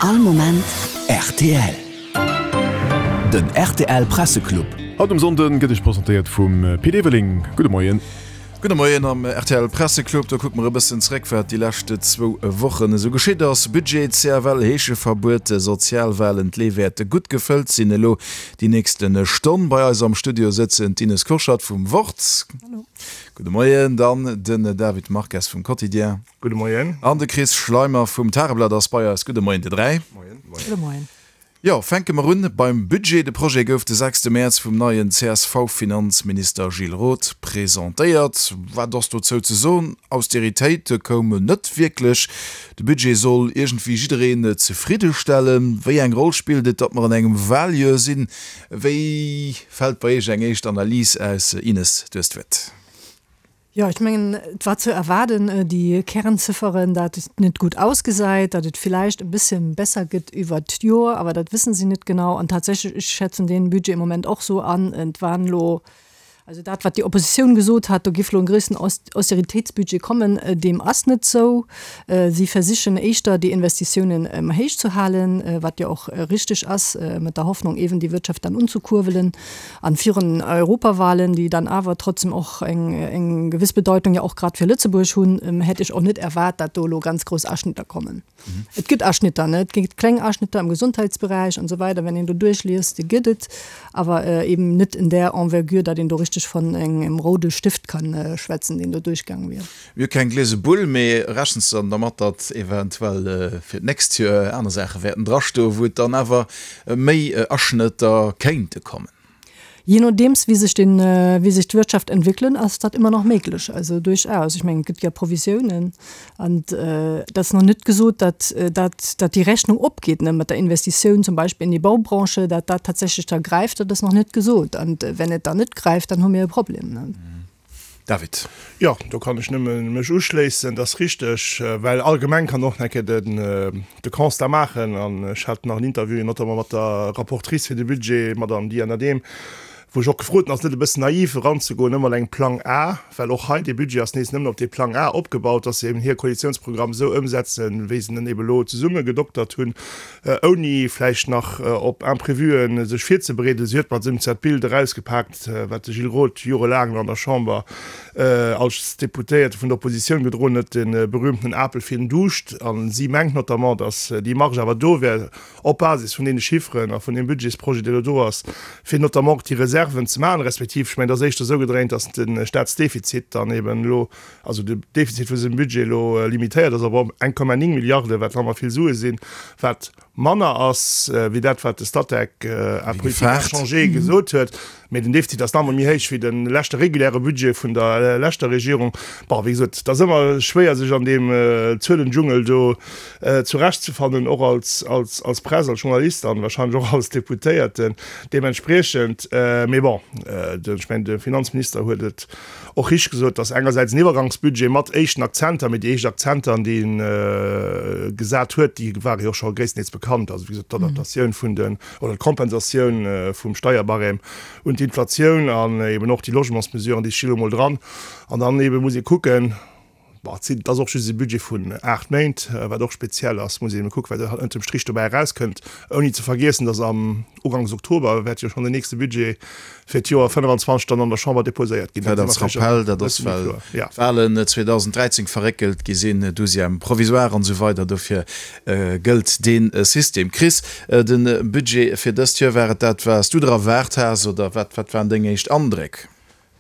All Moment rtl. Den rtl Presseclub. Haut um Sonnden gëtt iech presentéiert vum Pit Everling. Gudde Moien. Gudde Moien am rtl Presseclub. Do kucke mer e bëssen zréck, wat déi lescht zwou Wochen esou geschitt ass. Budget, CFL, Heescheverbuet, Sozialwalen, d'Lee wäerte gutt gefëllt sinn elo déi nächste Stonn. Bei eis am Studio sëtzen d'Ines Kurschat vum Wort. Hallo. Gudde Moien. Dann den David Marques vum Quotidien. Gudde Moien. An de Chris Schleimer vum Tageblatt ass bei eis. Gudde Moien, dir dräi. Moien. Gudde Moien. Jo, fänke mer un beim Budget. De Projet gouf de sechste Mäerz vum neien CSV-Finanzminister Gilles Roth presentéiert. Wat ass dozou ze soen? Austeritéit koum net wierklech. De Budget soll iergendwéi jiddereen zefridde stellen. Wéi eng Roll spillt et, datt mer an engem Waljoer sinn? Wéi fält bei Iech eng éischt Analys aus? Ines, du hues d'Wuert. Jo, ech mengen, et war ze erwaarden, déi Kernzifferen, dat et net gutt ausgesäit, datt et villäicht e bësse besser gëtt iwwert d'Joer, awer dat wësse si net genau. An tatsächlech, ech schätzen dee Budget im Moment och esou an, et waren elo, also dat, wat déi Oppositioun gesot hat, do géif elo e groussen Austeritéitsbudget kommen, deem ass net esou. Si versichen éischter, déi Investitiounen héich ze halen, wat jo och richteg ass, mat der Hoffnung eeben déi Wirtschaft dann unzekurbelen. An virun den Europawahlen, déi dann awer trotzdem och eng, eng gewëss Bedeutung ja och grad fir Lëtzebuerg hunn, hätt ech och net erwaart, dat do elo ganz grouss Aschnitter kommen. Et gëtt Aschnitter, ne, et gëtt kleng Aschnitter am Gesundheitsberäich an esou weider, wenn een do duerchliest, déi gëtt et, awer eben net in där Envergure, datt een do richteg von engem roude Stift kann schwätzen, deen do duerchgaang wier. Mir hu keng gliese Bull, mee rechens de dann dermat, datt eventuell fir d'nächst Joer aner Saache wäerten drastoen, wou et dann awer méi Aschnëtter kéinte kommen? Jee nodeems wéi sech den, wéi sech d'Wirtschaft entwéckelen, ass dat ëmmer nach méiglech. Also duerchaus. Ech mengen, et gëtt jo Provisiounen an et ass nach net gesot, datt dat, datt déi Rechnung opgeet, ne, mat der Investitioun zum Beispill in déi Baubranche, datt dat tatsächlech da gräift, dat ass nach net gesot. An wenn et dann net gräift, dann hu mir e Problem, ne. David. Jo, do kann ech nëmme mech uschléissen. Dat ass richteg, well allgemeng kann och nach eng Kéier den, de Constat maachen, an ech hat nach en Interview notamment mat der Rapportrice fir de Budget, Madame Diane Adehm, wou ech och gefrot hunn, ass et net e bëssen naiv eranzegoen ëmmer mat engem Plang A, well och hei dee Budget ass nees nëmmen op dee Plang A opgebaut, dass se eben hir Koalitionsprogramm esou ëmsetzen, wéi se en eben elo zesummegedoktert hunn, ouni vläicht nach op Imprévuen sech virzebereeden. Si huet mat esou dat Bild erausgepaakt, wat de Gilles Roth jorelaang an der Chamber als Deputéierte vun der Oppositioun gedroen huet, de berühmten Apel fir den Duuscht. A si mengt notamment, datt déi Marge awer do wär, op Basis vun deene Chifferen a vun deem Budgetsprojet, deen elo do ass, fir notamment och déi Reserven ze maachen, respektiv, ech mengen, et ass éischter esou gedréint, datt de Staatsdefizit dann eben elo, also de Defizit vu sengem Budget elo limitéiert ass op 1,9 Milliarden, wat nach ëmmer vill Sue sinn, wat manner ass wéi dat, wat de Statec à politique inchangée gesot huet. Mee den Defizit ass nach emol méi héich wéi de leschte reguläre Budget vun der leschter Regierung. Bon, wéi gesot, et ass ëmmer schwéier, sech an deem Zuelendschungel do zurechtzefannen, och als, als, als Press, als Journalist an wahrscheinlech och als Deputéierten deementspriechend. Mee bon, ech mengen, de Finanzminister huet et Och richteg gesot, dass engersäits en Iwwergangsbudget mat éischten Akzenter, mee déi éischt Akzenter, déi en gesat huet, déi ware jo och scho gréisstendeels bekannt, also wéi gesot d'Adaptatioun vun den, oder d'Kompensatioun vum Steierbarème un d'Inflatioun an eben och déi Logementsmesuren, déi sti lo mol dran. An dann ebe muss ee kucken, bon, et sinn, et ass och just e Budget vun 8 Méint, wat och speziell ass, muss ee ebe kucken, wat ënnertem Strich dobäi erauskënnt, ouni ze vergiessen, dass am Uganks Oktober wäert jo schonn den nächste Budget fir d'Joer 25 dann an der Chamber deposéiert ginn. Vläicht als Rappell, dat ass well d'Wahlen 2013 verréckelt gi sinn, Douzième provisoire an esou weider, dofir gëllt dee System. Chris, de Budget fir dëst Joer, war et dat wat s du der erwaart has oder wat waren deng éischt Andréck?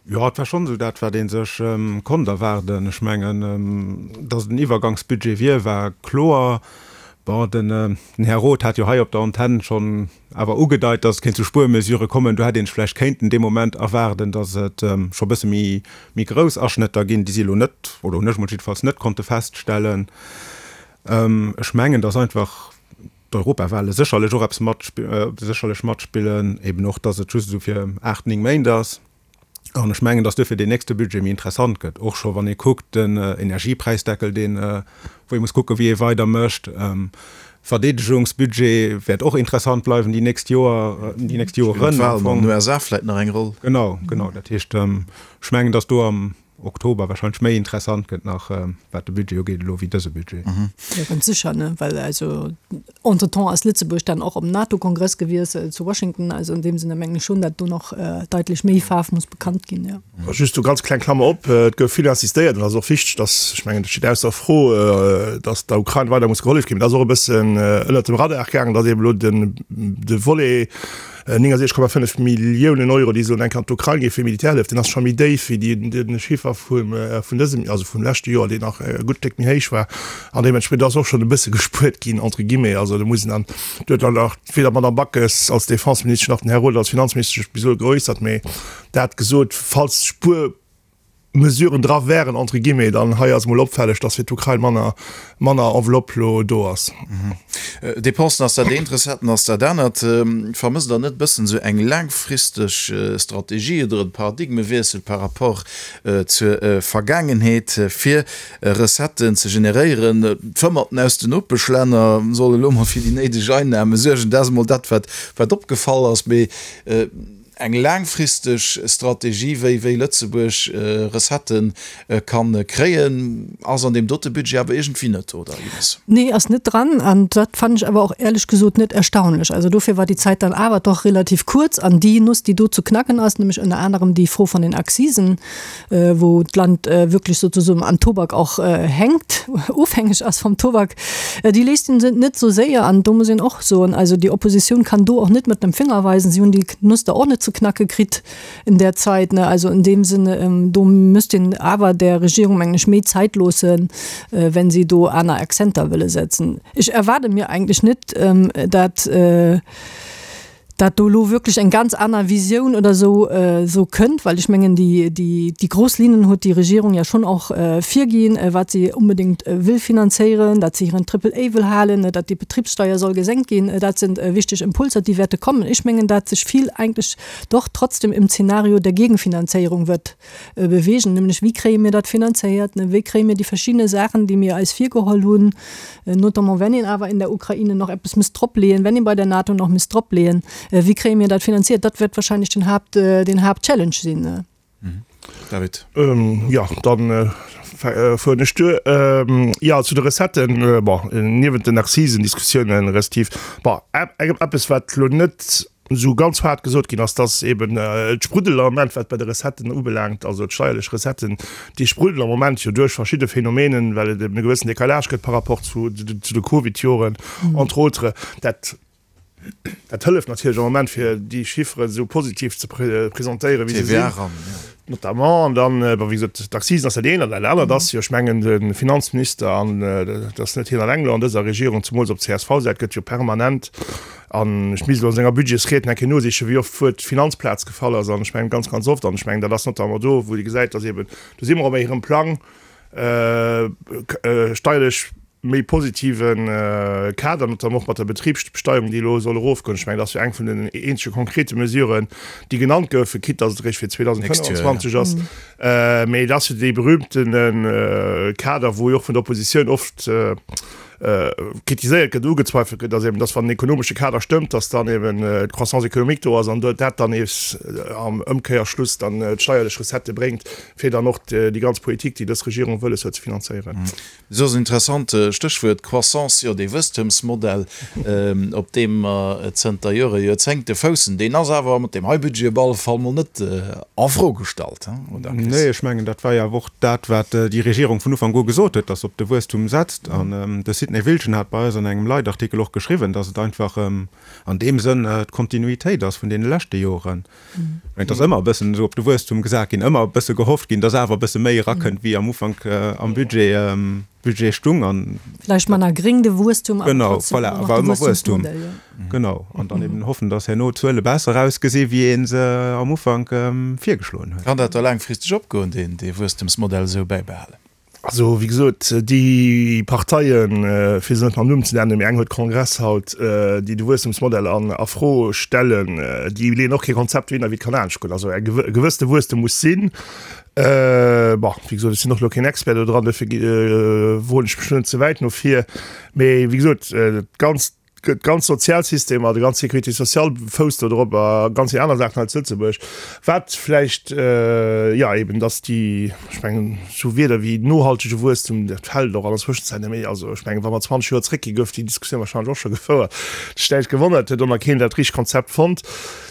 Jo, et war schonn esou dat, wat ee sech konnt erwaarden. Ech mengen, datt et en Iwwergangsbudget wier, war kloer. Bon, den Här Roth hat jo hei op der Antenn schonn awer ugedeit, datt et kéint zu Spuermesurë kommen. Do hätt ee sech vläicht kéinten dee Moment erwaarden, datt et scho bësse méi méi grouss Aschnëtter ginn. Déi si elo net, oder hunn ech emol jiddefalls net konnte feststellen. Ech mengen, datt einfach d'Europawale sécherlech och eppes mat, sécherlech matspillen, eben och, datt et just esou fir 8, 9 Méint ass. An ech mengen, datt duerfir deen nächste Budget méi interessant gëtt, och scho wann ee kuckt, den Energiepräisdeckel, deen, wou ee muss kucken, wéi ee weidermécht. Verdeedegungsbudget wäert och interessant bleiwen déi nächst Joer, déi nächst Joeren. Spillen d'Wahlen an den USA vläit nach eng Roll? Genau, genau. Dat heescht, ech mengen, datt do am Oktober wahrscheinlech méi interessant gëtt nach, wat de Budget ugeet elo, wéi dëse Budget. Jo, ganz sécher, ne, well also. Entretemps ass Lëtzebuerg dann och op NATO-Kongress gewies zu Washington. Also an deem Sinne mengen ech schonn, datt do nach daitlech méi Faarf muss bekannt ginn, jo. Just do ganz kleng Klammer op, Et gouf vill insistéiert, an dat ass och wichteg, datt, ech mengen, dat steet ausser Fro, datt der Ukrain weider muss gehollef ginn. Mee dat ass och e bëssen ënnert dem Radar gaangen, datt eeben elo den, de Volet 69,5 Milliounen Euro, déi sollen enk an d'Ukrain ginn fir Militärhëllef, deen ass scho méi déif wéi de Chiffer vun dësem, also vum leschte Joer, deen nach e gutt Stéck méi héich war. An deementspriechend ass och schonn e bësse gespuert ginn, entre guillemets. Also do muss een dann, do huet dann och weder d'Madame Backes als Defenseministesch nach den Här Roth als Finanzminister sech bis elo geäussert. Mee dat gesot, falls Spuer, Mesuren dra wären, entre guillemets, dann hei ass emol opfälleg, dass fir d'Ukrain manner, manner Enveloppe lo do ass. Dépensen ass dat eent, Recetten ass dat anert. Vermësst Der net e bëssen esou eng laangfristeg Strategie oder e Paradigmewiessel par rapport zur Vergaangenheet, fir Recetten ze generéieren? D'Fëmmerten aus den Nopeschlänner solle lo mol fir déi néideg Einnahme suergen. Dat ass emol dat, wat opgefall ass. Mee Eng laangfristeg Strategie, wéi wéi Lëtzebuerg Recettë kann kréien, ass an deem dote Budget awer iergendwéi net, oder Ines? Nee, ass net dran. An dat fannen ech awer och éierlech gesot net erstaunlech. Also dofir war déi Zäit dann awer doch relativ kuerz. An déi Nuss, déi do ze knacken ass, nämlech ënner anerem déi Fro vun den Accisen, wou d'Land wierklech sozusoen am Tobak och hänkt, ofhängeg ass vom Tobak, déi léisst een net esou séier. An do muss een och soen, also déi Opposition kann do och net mat dem Finger weisen, si hunn déi Nuss da och net ze knacke kritt in der Zeit. Also in deem Sinne, do müsst een awer der Regierung, mengen ech, méi Zäit loossen, wenn si do aner Accenter wëlle setzen. Ech erwaarde mir eigentlech net, dat, dat do elo wierklech eng ganz aner Visioun oder esou esou kënnt, well ech mengen, déi, déi, déi grouss Linnen huet déi Regierung ja schonn och virginn, wat si unbedéngt wëll finanzéieren, datt si hiren Triple A wëll halen, datt déi Betribssteuer soll gesenkt ginn. Dat sinn wichteg Impulser, déi wäerte kommen. Ech mengen, dat sech vill eigentlech doch trotzdem im Zeenario der Gegenfinanzéierung wird bewegen, nämlech wéi kréie mir dat finanzéiert, wéi kréie mir déi verschiddene Saachen, déi mir eis virgeholl hunn, notamment wenn een awer in der Ukraine nach eppes misst dropleeën, wenn een bei der NATO nach misst dropleeën, wéi kréie mir dat finanziert? Dat wäert wahrscheinlech den Haapt, den Haaptchallenge sinn. David. Jo, dann fueren ech duer. Jo, zu de Recetten, bon, niewent den Accisen-Diskussiounen respektiv, bon, eppes wat elo net esou ganz haart gesot ginn ass, dass eben d'Spruddel am Moment, wat bei de Recetten ubelaangt, also d'steierlech Recetten, déi spruddelen am Moment jo duerch verschidde Phänomenen, well et eben e gewëssen Décalage gëtt par rapport zu de Covid-Joren, entre autres. Dat, dat hëlleft natierlech am Moment, fir déi Chifferen esou positiv ze presentéieren, wéi se sinn. Notamment, an dann, bon, wéi gesot, d'Accisen ass dat eent, an dat anert ass jo, ech mengen, de Finanzminister, an dat ass net hien alleng elo an dëser Regierung, zemools op CSV-Säit gëtt jo permanent, an ech misst elo an senger Budgetsried nach eng Kéier nosichen, wéi oft d'Wuert Finanzplaz gefall ass, an ech mengen ganz, ganz oft, an ech mengen, dat ass notamment do, wou ee gesäit, dass eeben, do si mer op hirem Plang, steierlech méi positive Kader, notamment och mat der Betribsbesteuerung, déi elo soll erofgoen. Ech mengen, dat ass jo eng vun den eenzege konkrete Mesuren, déi genannt goufen, quitte dass et eréischt fir 2025 ass. Mee et ass jo dee berühmtene Kader, wou jo och vun der Oppositioun oft kritiséiert gëtt, ugezweifelt gëtt, dass eben, dass wann den ekonomesche Kader stëmmt, dass dann eben d'Croissance économique do ass an dat dann nees am Ëmkéierschluss dann d'steierlech Recettë bréngt, fir dann och déi ganz Politik, déi dës Regierung wëlles huet, ze finanzéieren. Soss en interessant Stéchwuert, Croissance, jo dee Wuesstemsmodell, op deem mer zënter Jore, Joerzéngte foussen, deen ass awer mat deem hei Budget op alle Fall mol net en Fro gestallt, oder Chris? Nee, ech mengen, dat war jo awer och dat, wat déi Regierung vun Ufank u gesot huet, dass se op de Wuesstum setzt. An de Sidney Wiltgen hat bei eis an engem Leitartikel och geschriwwen, dass et einfach an deem Sënn d'Kontinuitéit ass vun deene leschte Joren. Et ass ëmmer e bëssen esou op de Wuesstum gesat ginn, ëmmer e bësse gehofft ginn, dass awer e bësse méi erakënnt, wéi am Ufank am Budget, Budget stung. An Vläicht manner gréng de Wuesstum, awer genau, trotzdem voilà, ëmmer nach de Wuesstumsmodell, jo. Genau, an dann eben hoffen, dass herno d'Zuele besser ausgesi wéi ee se am Ufank virgeschloen huet. Kann dat da laangfristeg opgoen, deen, dee Wuesstemsmodell esou bäibehalen? Also, wéi gesot, déi Parteien, fir se net mam Numm ze nennen, mee eng huet Kongress haut, déi de Wuesstemsmodell an a Fro stellen, déi leeën och kee Konzept wéi wéi et kann anescht goen. Also e gewëssene Wuesstem muss sinn. Bon, wéi gesot, ech sinn och elo keen Expert do dran, dofir woen ech mech net ze wäit no vir. Mee wéi gesot, d'ganzt. D'ganz Sozialsystemer, déi ganz Sécurité sociale fousst do drop a ganz vill aner Saachen hei zu Lëtzebuerg. Wat vläicht, jo eben, datt déi, ech mengen, esou Wierder wéi nohaltege Wuesstum, dat fält och an der Zwëschenzäit net méi. Also ech mengen, wa mer 20 Joer zréckginn, gouf déi Diskussioun wahrscheinlech och scho gefouert. Et huet näischt gewonnert, huet och nach keen dat richtegt Konzept fonnt.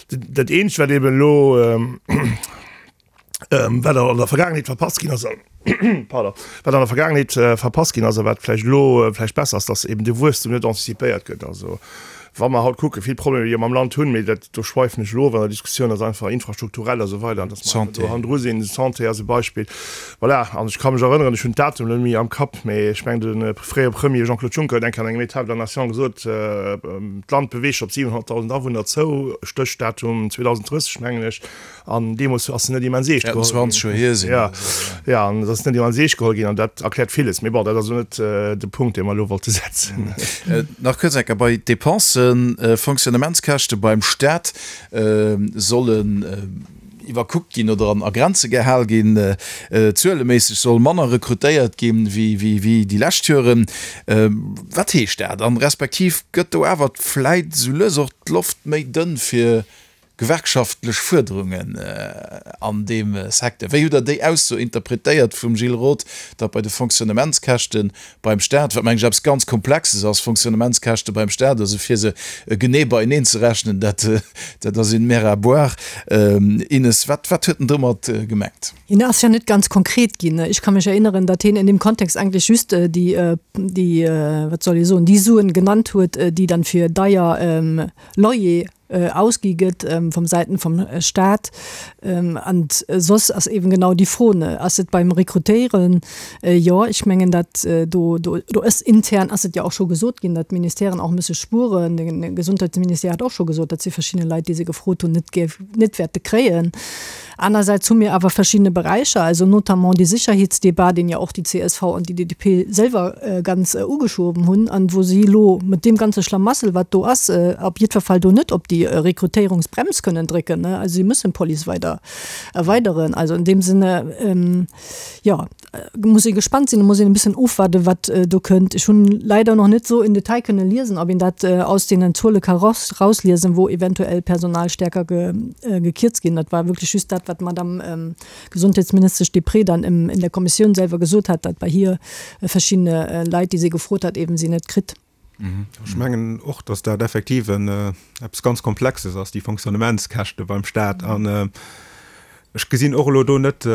Dat eenzegt, wat eben elo, Wat an der Vergaangenheet verpasst ginn ass, pardon, wat an der Vergaangenheet verpasst ginn ass a wat vläicht elo vläicht besser ass, dass eben de Wuesstum net anticipéiert gëtt. Also wa mer haut kucken, vill Problemer, déi mer am Land hunn, mee dat, do schweifen ech elo of an der Diskussioun, ass einfach infrastrukturell a sou weider, an dass mer einfach do hannendru sinn. Santé ass e Beispill. Voilà, an ech ka mech erënneren, ech hunn d'Datum elo net méi am Kapp, mee ech mengen de fréiere Premier Jean-Claude Juncker huet eng Kéier an engem État de la Nation gesot, d'Land beweegt sech op 700.000 Awunner zou, Stéchdatum 2030, mengen ech. An deemools ass se net immens eescht geholl ginn. 20 Joer hier sinn. Ja, ja, an et ass net immens eescht geholl ginn an dat erkläert villes. Mee bon, dat ass elo net de Punkt, dee mer elo wollte setzen. Nach kuerz eng Kéier bei d'Depensen, Fonctionnementskäschte beim Staat sollen iwwerkuckt ginn oder an a Grenze gehal ginn. Zueleméisseg soll manner rekrutéiert ginn wéi déi lescht Joren. Wat heescht dat? An respektiv gëtt do awer vläit esou lues och d'Loft méi dënn fir Gewerkschaftlech Fuerderungen an deem Secteur. Wéi hutt Der déi Ausso interpretéiert vum Gilles Roth, datt bei de Fonctionnementskäschte beim Staat, wat mengen ech eppes ganz Komplexes ass, Fonctionnementskäschte beim Staat, also fir se genee beieneen ze rechnen, dat dat ass une mer à boire. Ines, wat wat huet en domat gemengt? Hien ass jo net ganz konkret ginn. Ech ka mech erinneren, datt hien in dem Kontext eigentlech just déi, déi, wat soll ee soen, déi Suen genannt huet, déi dann fir deier Loyer ausgi gëtt vum Säiten vum Staat. An soss ass eeben genau déi Fro, ne, ass et beim Rekrutéieren? Jo, ech mengen dat do, do, do ass intern ass et jo och scho gesot ginn, datt d'Ministèren och musse spueren. De Gesundheitsministère hat och scho gesot, datt si verschidde Leit, déi se gefrot hunn, net géif, net wäerte kréien. Anersäits hu mir awer verschiddene Beräicher, also notamment déi Sicherheetsdebat, deen jo och déi csv an déi DP selwer ganz ugeschoben hunn an wou si elo mat deem ganze Schlamassel, wat do ass, op jiddwer Fall do net op déi Rekrutéierungsbrems kënnen drécken. Also si mussen d'Police weider erweideren. Also an deem Sinne, jo, muss ee gespannt sinn, muss een e bëssen ofwaarden, wat do kënnt. Ech hunn leider nach net esou im Detail kënne liesen, ob een dat aus deenen Zuele ka rausliesen, wou eventuell Personal stärker gekierzt ginn. Dat war wierklech just dat, wat d'Madame Gesundheitsministesch Deprez dann in der Kommissioun selwer gesot hat, datt bei hir verschiddene Leit, déi si gefrot hat, eben si net kritt. Ech mengen och, datt dat effektiv eppes ganz Komplexes ass, déi Fonctionnementskäschte beim Staat. An ech gesinn och elo do net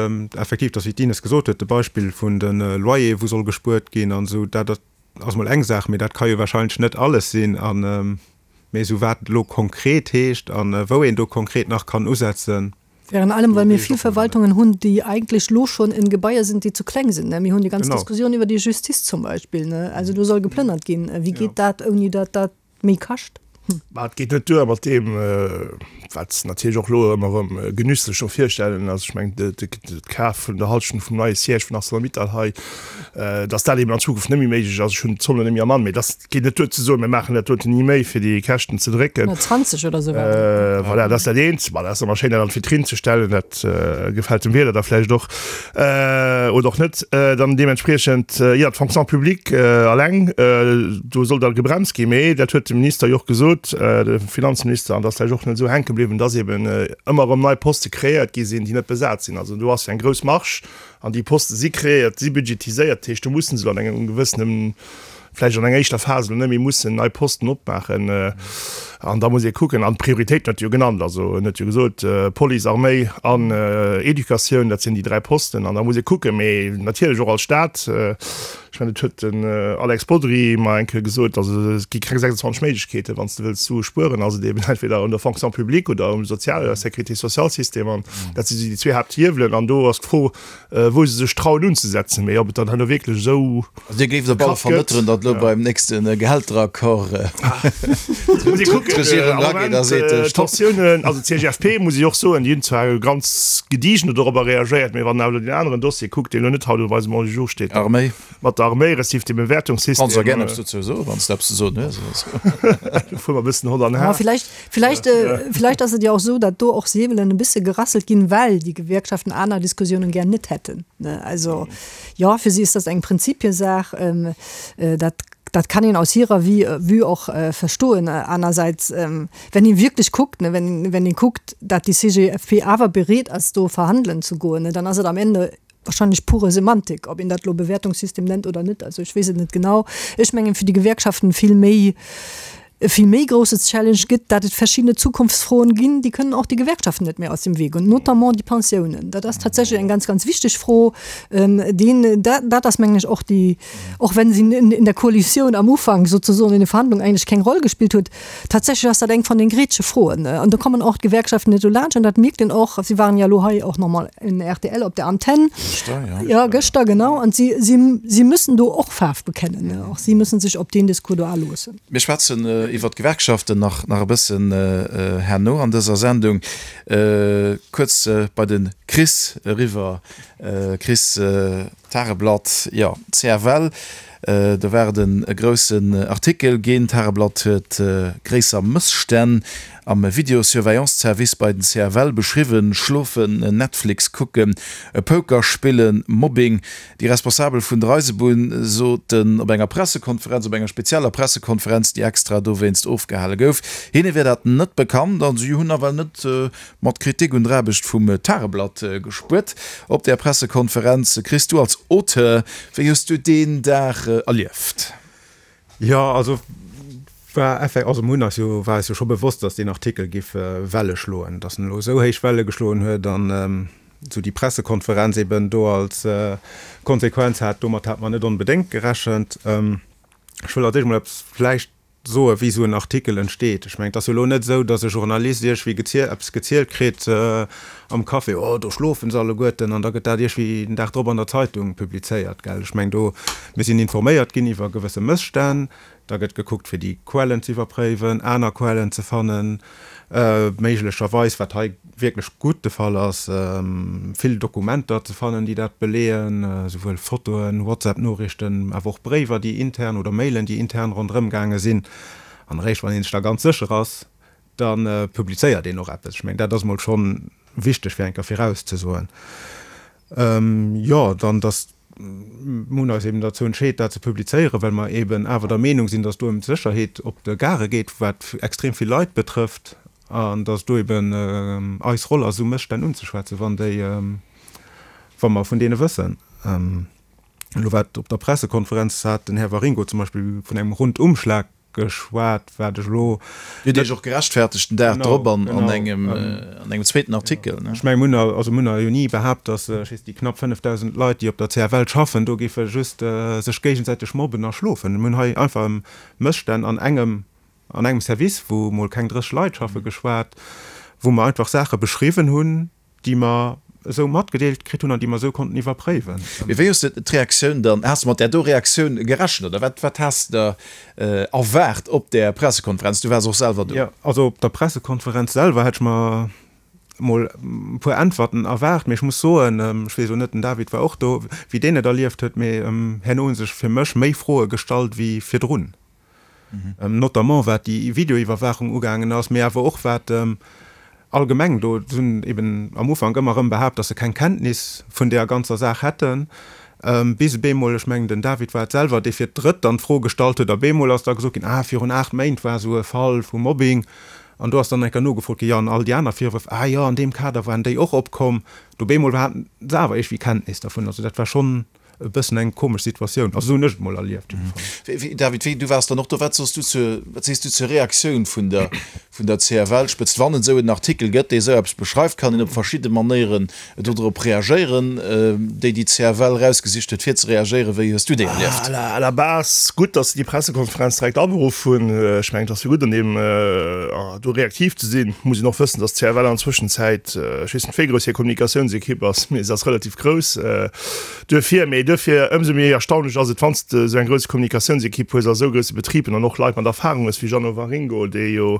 effektiv, datt, wéi d'Ines gesot huet, de Beispill vun de Loyere wou soll gespuert ginn an esou, dat ass mol eng Saach, mee dat ka jo wahrscheinlech net alles sinn. A mee esou wat elo konkret heescht a wou een do konkret nach kann usetzen, Virun allem, well mir vill Verwaltungen hunn, déi eigentlech lo schonn in Gebaier sinn, déi zu kleng sinn. Mir hunn déi ganz Diskussioun iwwer déi Justiz zum Beispill. Also do soll geplënnert ginn. Wéi geet dat, ouni datt dat méi kascht? Mä et geet net duer mat deem, wat se natierlech och elo ëmmer erëm genüsslech do virstellen, also ech mengen de Kaf vun der Hallschent vum neie Siège vun Arcelor-Mittal hei, datt dat eben an Zukunft net méi méiglech ass. Ech hunn d'Zommen net méi am An, mee datt Et geet net duer ze soen, mir maachen dat doten ni méi, fir déi Käschten ze drécken. 120 oder esou war dat. Voilà, dat ass dat eent. Bon, dat ass ëmmer schéin, dat an d'Vitrinn ze stellen. Dat gefält dem Wieler da vläicht och oder och net. Dann deementspriechend, jo, d'Fonction publique alleng, do soll da gebremst ginn. Mee dat huet de Minister jo och gesot, de Finanzminister, an dat ass vläicht och net esou hänke bliwwen, dass eeben ëmmer erëm nei Poste kreéiert gi sinn, déi net besat sinn. Also do ass jo eng grouss Marge an déi Poste si kreéiert, si budgetiséiert. Dat heescht, do musse se elo an engem gewëssenen vläicht an enger éischter Phas elo net méi mussen nei Posten opmaachen. An da muss ee kucken, an d'Prioritéiten huet e jo genannt, also en huet jo gesot, Police, Arméi an Educatioun, dat sinn déi 3 Posten. An da muss ee kucken, mee natierlech och als Staat, ech mengen, dat huet den Alex Bodry mer eng Kéier gesot, also et gi keng 26 Méiglechkeeten, wann s de wëlls Sue spueren, ass et eben entweder un der Fonction publique oder um Sozial-, Sécurité-sociale-System. An dat si déi zwee Haapthiewelen. An do ass d'Fro, wou se sech trauen unzesetzen, mee ob et dann herno wierklech esou. Also Dir géift op alle Fall net drun, datt elo beim nächste Gehälteraccord d'Regierung erageet a seet, Stopp. D'Tensiounen, also d'CGFP muss ech och soen, déi hunn zwar ganz gediegen dorobber reagéiert, mee wann een awer elo deen aneren Dossier kuckt, deen elo net haut op eisem Ordre du jour steet, Arméi. Mat der Arméi, respektiv dem Bewäertungssystem. Kanns och gären eppes dozou soen, wann s de eppes ze soen hues. Do fuere mer e bëssen hott an har. Villäicht, villäicht, villäicht ass et jo och esou, datt do och Säbelen e bësse gerasselt ginn, well déi Gewerkschaften aner Diskussiounen gär net hätten, ne? Also, jo, fir si ass dat eng Prinzipiesaach. Dat. Dat kann een aus hirer Vue och verstoen. Anersäits, wenn een wierklech kuckt, wenn een kuckt, dat déi CGFP awer bereet ass do verhandelen ze goen, dann ass et am Ende wahrscheinlech pure Semantik, ob een dat elo Bewäertungssystem nennt oder net. Also ech weess et net genau. Ech mengen, fir déi Gewerkschaften vill méi e vill méi grousse Challenge gëtt, dat et verschiddene Zukunftsfroen ginn, déi kënnen och déi Gewerkschaften net méi aus dem Wee goen, notamment déi Pensiounen. Dat ass tatsächlech eng ganz, ganz wichteg Fro. Deen, dat, dat ass, mengen ech, och déi, och wenn se in der Koalitioun am Ufank sozusagen in de Verhandlungen eigentlech keng Roll gespillt huet, tatsächlech ass dat eng von den grätsche Froen. An do kommen och d'Gewerkschaften net dolaanscht an dat mierkt een och. Si waren ja elo hei och nach mol en rtl op der Antenn. Gëschter, ja. Ja, gëschter, genau. An si, si, si müssen do och Faarf bekennen. Och si müssen sech op deen Discours do aloossen. Mir schwätzen iwwert d'Gewerkschaften nach nach e bëssen herno an dëser Sendung. Kuerz bei de Chris eriwwer. Chris, Tageblatt, jo, CFL, do war et e groussen Artikel ginn. D'Tageblatt huet gréisser Mësstänn am Videosurveillance-Service bei den CFL beschriwwen, Schlofen, Netflix kucken, Poker spillen, Mobbing. Déi Responsabel vun der Eisebunn soten op enger Pressekonferenz, op enger spezieller Pressekonferenz, déi extra dowéinst ofgehale gouf, hinne wier dat net bekannt a si hunn nawell net mat Kritik un der Aarbecht vum Tageblatt gespuert. Op där Pressekonferenz, Chris, du als Auteur, wéi hues du deen Dag erlieft? Jo, also war effek-, also mir hunn eis jo, war eis jo scho bewosst, datt deen Artikel giff Welle schloen. Datt en elo esou héich Welle geschloen huet an esou déi Pressekonferenz eben do als Konsequenz hat, domat hat mer net onbedéngt gerechent. Ech wëll als éischt emol eppes vläicht soen, wéi esou en Artikel entsteet. Ech mengen, et ass jo elo net esou, datt e Journalist iergwéi geziel, eppes gezielt kritt am Café, oh do schlofen se alleguerten, an da gëtt dat iergwéi den Dag drop an der Zeitung publizéiert, gell. Ech mengen do, mir sinn informéiert ginn iwwer gewësse Mësstänn, da gëtt gekuckt fir déi Quellen ze iwwerpréiwen, aner Quellen ze fannen, méiglecherweis, wat hei wierklech gutt de Fall ass, vill Dokumenter ze fannen, déi dat beleeën, esouwuel Fotoen, WhatsApp-Noriichten, awer och Bréiwer, déi intern oder Mailen, déi intern ronderëm gaange sinn. An eréischt wann ee sech da ganz sécher ass, da publizéiert een och eppes. Ech mengen, dat ass emol schonn wichteg fir eng Kéier virauszesoen. Jo, dann, datt Mir hunn eis eben derzou entscheet, dat ze publizéieren, well mer eben awer der Meenung sinn, dass do ëm d'Sécherheet op de Gare geet, wat extrem vill Leit betrëfft, an dass do eben eis Roll ass, esou Mësstänn unzeschwätzen, wann déi, wa mer vun deene wëssen. Elo wat op der Pressekonferenz hat den Här Waringo zum Beispill vun engem Rundumschlag geschwat, wat ech elo. Dir hutt Iech och gerechtfertegt den Dag drop an engem zweeten Artikel. Ech mengen, mir hunn also mir hunn jo ni behaapt, datt, ech weess, déi knapp 5.000 Leit, déi op der CFL schaffen, do géife just sech géigesäiteg mobben a schlofen. Mir hunn hei einfach ëm Mësstänn an engem, an engem Service, wou mol keng 30 Leit schaffen, geschwat, wou mer einfach Saache beschriwwen hunn, déi mer esou matgedeelt kritt hunn an déi mer esou konnten iwwerpréiwen. Mee wéi hues de d'Reaktioun dann, has de mat där do Reaktioun gerechent oder wat, wat has de der erwaart op där Pressekonferenz? Du waars och selwer do. Jo, also op der Pressekonferenz selwer hätt ech mer mol e puer Äntwerten erwaart, mee ech muss soen, ech weess elo net, den David war och do, wéi deen et erlieft huet, mee herno hu sech fir mech méi Froe gestallt wéi virdrun. Notamment wat déi Videoiwwerwaachung ugaangen ass, mee awer och wat allgemeng do, se hunn eben am Ufank ëmmer erëm behaapt, datt se keng Kenntnis vun deeër ganzer Saach hätten, bis e bemol, ech mengen den David war et selwer, dee fir d'drëtt dann d'Fro gestallt huet, a bemol ass da gesot ginn, ah virun 8 Méint war esou e Fall vu Mobbing, an do ass dann eng Kéier nogefrot ginn, jo an all déi aner Virwërf, ah jo an deem Kader waren déi och opkomm, do bemol haten se awer iergendwéi Kenntnis dervun, also dat war schonn. e bëssen eng komesch Situatioun. Also esou hunn ech et mol erlieft jiddefalls. David, wéi, du waars dann och do, wat soss du zur, wat sees du zur Reaktioun vun der, vun der CFL? Spëtzt wann et esou en Artikel gëtt, dee esou eppes beschreift, kann een op verschidde Manéieren dodrop reagéieren. Déi, déi d'CFL erausgesicht huet fir ze reagéieren, wéi hues du déi erlieft? À la base gutt, datt se déi Pressekonferenz direkt aberuff hunn. Ech mengen, et ass jo gutt an deem do reaktiv ze sinn. Muss een och wëssen, datt d'CFL an der Zwëschenzäit, ech weess net wéi grouss hir Kommunikatiounsekipp ass, mee se ass relativ grouss. Duerfir, mee duerfir ëmsou méi erstaunlech ass et, wann s de esou eng grouss Kommunikatiounsekipp hues a esou grousse Betriben an och Leit mat Erfahrung hues wéi Jeannot Waringo, dee jo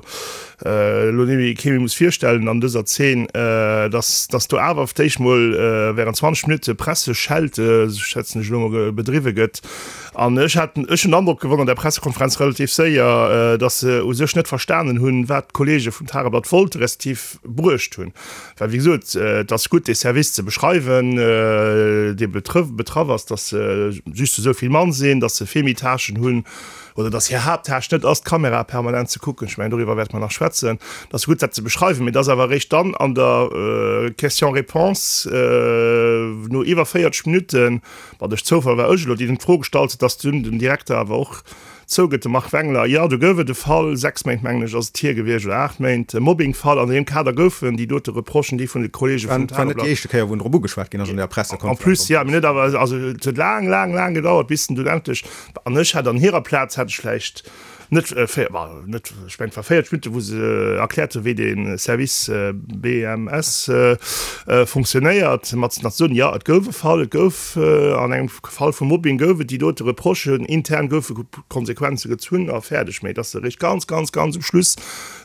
elo net méi kee méi muss virstellen an dëser Zeen, dass dass do awer auf d'éischt mol während 20 Minutte Presseschelte, schätzen ech elo mol, bedriwwe gëtt. An ech hat, ech hunn den Androck gewonn an der Pressekonferenz relativ séier, datt se u sech net verstanen hunn, wat d'Kollege vum Tageblatt wollte respektiv bruecht hunn. Well wéi gesot, et ass gutt dee Service ze beschreiwen, dee betraff ass, datt se just esou vill Mann sinn, datt se vill méi Tâchen hunn oder datt hir Haapttâche net ass, d'Kamerae permanent ze kucken. Ech mengen, doriwwer wäerte mer nach schwätzen. Et ass gutt dat ze beschreiwen, mee et ass awer eréischt dann an der Question-réponse no iwwer 40 Minutten, Ma duerch Zoufall war ech elo deen, deen d'Fro gestallt huet, dass dunn den Direkter awer och zougëtt, de Marc Wengler, jo, do gouf et e Fall, 6 Méint mengen ech ass et hier gewiescht, oder 8 Méint, e Mobbingfall. An deem Kader goufen déi dote Reprochen, déi vun de Kollege vum War net déi éischte Kéier, wou en drop ugeschwat ginn ass an där Pressekonferenz. En plus, jo, mee net awer, also et huet laang, laang, laang gedauert, bis en dunn endlech, an ech hätt an hirer Plaz hätt ech vläicht, Net, net, ech mengen et war 40 Minutten, wou se erkläert hunn, wéi dee Service BMS funktionéiert, mat nach ze soen, jo, et gouf e Fall, et gouf an engem Fall vu Mobbing gouf et déi dote Reprochen, intern goufe Konsequenze gezunn a fäerdeg. Mä dass se eréischt ganz, ganz, ganz um Schluss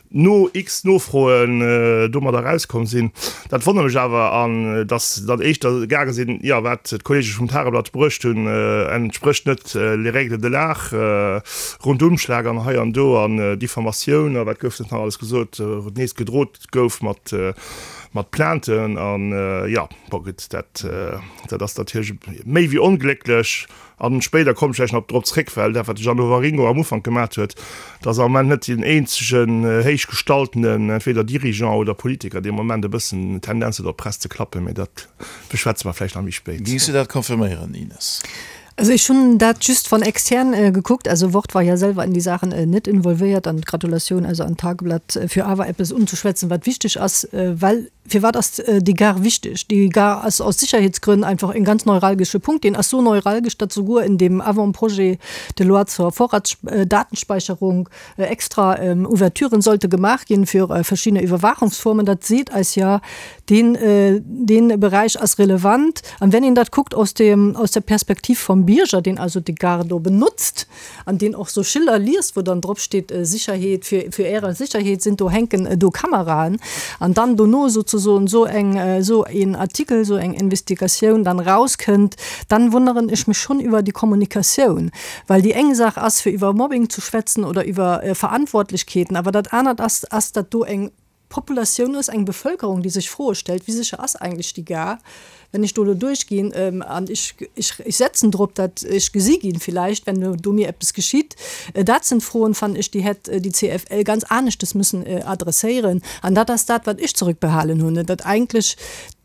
no x Nofroen domadder erauskomm sinn. Dat wonnert mech awer, an dass se dann éischter gaange sinn, jo, wat d'Kollege vum Tageblatt bruecht hunn, entsprécht net les règles de l'art, Rundumschlag an hei an do an Diffamatioun a wat gouf net nach alles gesot, nees gedrot gouf mat mat Plainten an, jo, bon gutt, dat dat ass natierlech méi wéi onglécklech. An spéider kommen ech vläicht nach drop zréck, well dat, wat de Jeannot Waringo am Ufank gemat huet, dat ass am Moment net deen eenzegen héichgestaltenen, entweder Dirigeant oder Politiker, dee am Moment e bëssen Tendenz huet, op d'Press ze klappen. Mee dat beschwätze mer vläicht nach méi spéit. Géings du dat confirméieren, Ines? Also ech hunn dat just von extern gekuckt. Also Wort war ja selwer in déi Saachen net involvéiert. An Gratulatioun also an d'Tageblatt fir awer eppes unzeschwätzen, wat wichteg ass, well Firwat ass déi Gare wichteg? Déi Gare ass aus Sicherheetsgrënn einfach en ganz neuralgesche Punkt. Deen ass sou neuralgesch, datt souguer in dem Avant-projet de loi zur Vorratsdatenspeicherung extra Ouverturen sollte gemaach ginn fir verschiddene Überwachungsformen. Dat seet eis jo, deen, deen Beräich ass relevant. An wenn een dat kuckt aus dem, aus der Perspektiv vom Bierger, deen also déi Gare do benutzt, an deen och sou Schiller liest, wou dann drop steet Sicherheet, für, für Äre Sicherheet sind do hänken do Kameraen, an dann dono souzesoen sou eng, sou een Artikel, sou eng Investigatioun dann rauskënnt, dann wonneren ech mech schonn iwwer déi Kommunikatioun. Well déi eng Saach ass, fir iwwer Mobbing ze schwätzen oder iwwer Verantwortlechkeeten, awer dat anert ass, ass dat do eng Populatioun ass, eng Bevölkerung, déi sech Froe stellt, Wie sécher ass eigentlech déi Gare, wenn ech do elo duerchginn an ech, ech, ech setzen drop, datt ech gesi ginn villäicht, wenn do mir eppes geschitt? Dat sinn Froen, fannen ech, déi hätt déi CFL ganz aneschtes müssen adresséieren. An dat ass dat, wat ech zurückbehalen hunn, datt eigentlech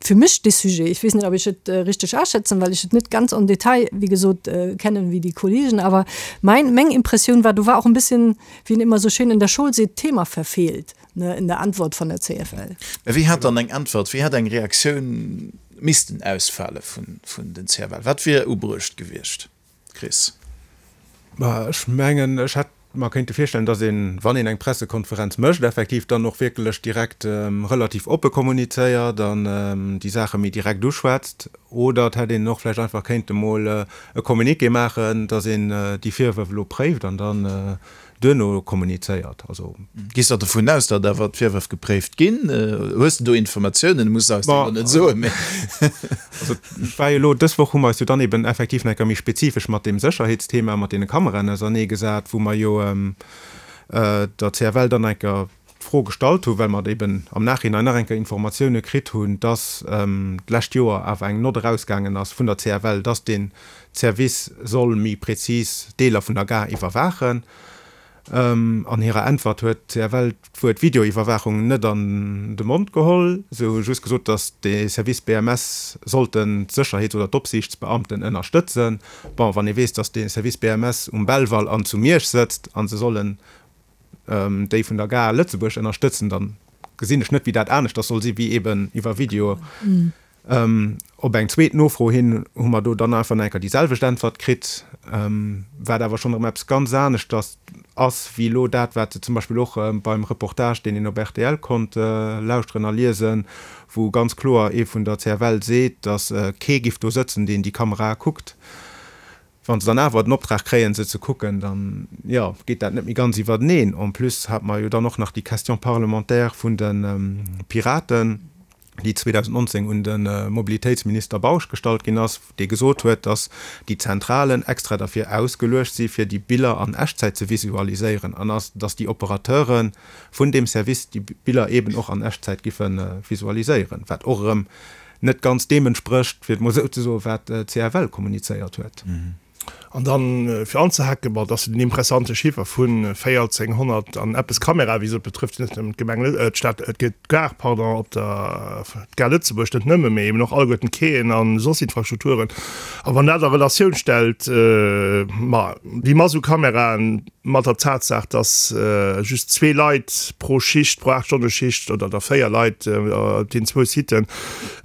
fir mech dee Sujet, ich weess net, ob ech et richteg aschätzen, well ech et net ganz en détail, wéi gesot, kennen wéi déi Kollegen, awer mein, meng Impressioun war, do war och en bisschen, wéi een immer sou schön in der Schoul seet, Thema verfehlt. Ne, in der Antwort von der CFL. Mä wéi hätt dann eng Äntwert, wéi hätt eng Reaktioun missten ausfale vun den CFL? Wat wier ubruecht gewiescht, Chris? Ma ech mengen, ech hätt mer kéinte virstellen, datt een, wann een eng Pressekonferenz mécht, effektiv dann och wierklech direkt relativ oppe kommunizéiert an déi Saache méi direkt uschwätzt. Oder et hätt een och vläicht einfach kéinte mol e Communiqué maachen, datt een déi Virwërf elo préift an dann duerno kommunizéiert. Also. Gees de dovun aus, datt awer d'Virwërf gepréift ginn? Hues de do Informatiounen? Muss de eis déi elo net soen, mee. Also et war jo elo, dës Woch hu mer eis jo dann eben effektiv nach eng Kéier méi spezifesch mat deem Sécherheetsthema, mat deene Kameraen auserneegesat, wou mer jo der CFL dann eng Kéier d'Fro gestallt hunn, well mer eben am Nachhinein nach eng Kéier Informatioune kritt hunn, dass d'lescht Joer awer eng Nott erausgaangen ass vun der CFL, dass dee Service soll méi prezis Deeler vun der Gare iwwerwaachen. An hirer Äntwert huet d'CFL d'Wuert Videoiwwerwaachung net an de Mond geholl. Se hu just gesot, dass dee Service BMS sollten d'Sécherheets oder d'Opsiichtsbeamten ënnerstëtzen. Bon, wann ee weess, dass dee Service BMS um Belval an zu Miersch sëtzt a se sollen déi vun der Gare Lëtzebuerg ënnerstëtzen, dann gesinn ech net, wéi dat aneschters soll si wéi eben iwwer Video. Op eng zweet Nofro hin hu mer do dann einfach nach eng Kéier déi selwecht Äntwert kritt, wat awer schonn erëm eppes ganz aneschters ass wéi elo dat, wat se zum Beispill och beim Reportage, deen een op rtl konnt lauschteren a liesen, wou ganz kloer ee vun der CFL seet, datt kee giff do sëtzen, deen déi Kamerae kuckt. Wa se dann awer den Optrag kréien, se ze kucken, dann, jo, geet dat net méi ganz iwwerteneen. En plus hate mer jo dann och nach déi Question parlementaire vun de Piraten. déi 2019 un de Mobilitéitsminister Bausch gestallt ginn ass, dee gesot huet, datt déi Zentralen extra derfir ausgeluecht si fir déi Biller an Echtzäit ze visualiséieren an datt déi Operateure vun deem Service déi Biller eeben och an Echtzäit giffe visualiséieren, wat och erëm net ganz deem entsprécht, fir et mol esou ze soen, wat d'CFL kommunizéiert huet. An dann, fir anzehaken, bon, et ass jo den impressante Chiffer vu 1.400 an eppes Kamerae, wéi gesot, betrëfft net nëmmen d'Gemeng, d'Stad, d'Gare, pardon, op der, d'Gare Lëtzebuerg net nëmmen, mee eben och alleguerten d'Quaien a soss Infrastrukturen. A wann dat a Relatioun stellt, ma déi Mass u Kameraen mat der Tatsaach, dass just zwee Leit pro Schicht, pro Aacht-Stonne-Schicht oder da véier Leit op deenen zwou Siten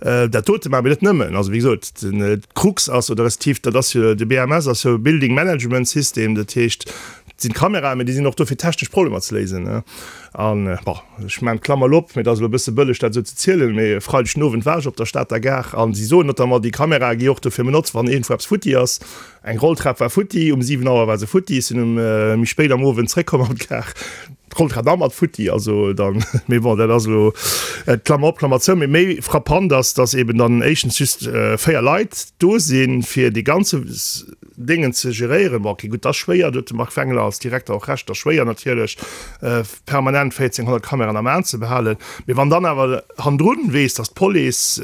dat dote maachen, mee net nëmmen, also wéi gesot, d'Krux ass, oder respektiv dat ass jo, de BMS ass jo e Building Management System, dat heescht, et sinn Kameraen, mee déi sinn och do fir technesch Problemer ze léisen. An, bon, ech maachen d'Klammer elo op, mee et ass elo e bësse bëlleg dat esou ze zielen, mee e Freideg den Owend war ech op der Stater Gare a si soen notamment, déi Kamerae gi och dofir benotzt, wann iergendwou eppes futti ass. Eng Rolltrap war futti, um 7 Auer war se futti, ech sinn um méi spéit am Owend zréckkomm an d'Gare, d'Rolltrap nach mat futti, also dann, mee bon, dat ass elo, Klammer op, Klammer zou. Mee méi frappant ass, dass eben dann éischtens just 4 Leit do sinn, fir dee ganze Déngen ze geréieren. Bon, okay, gutt, dat ass schwéier, do huet de Marc Wengler als Direkter och Recht, dat ass schwéier natierlech, permanent 1.400 Kameraen am Aen ze behalen. Mee wann dann awer hannendrun weess, dass d'Police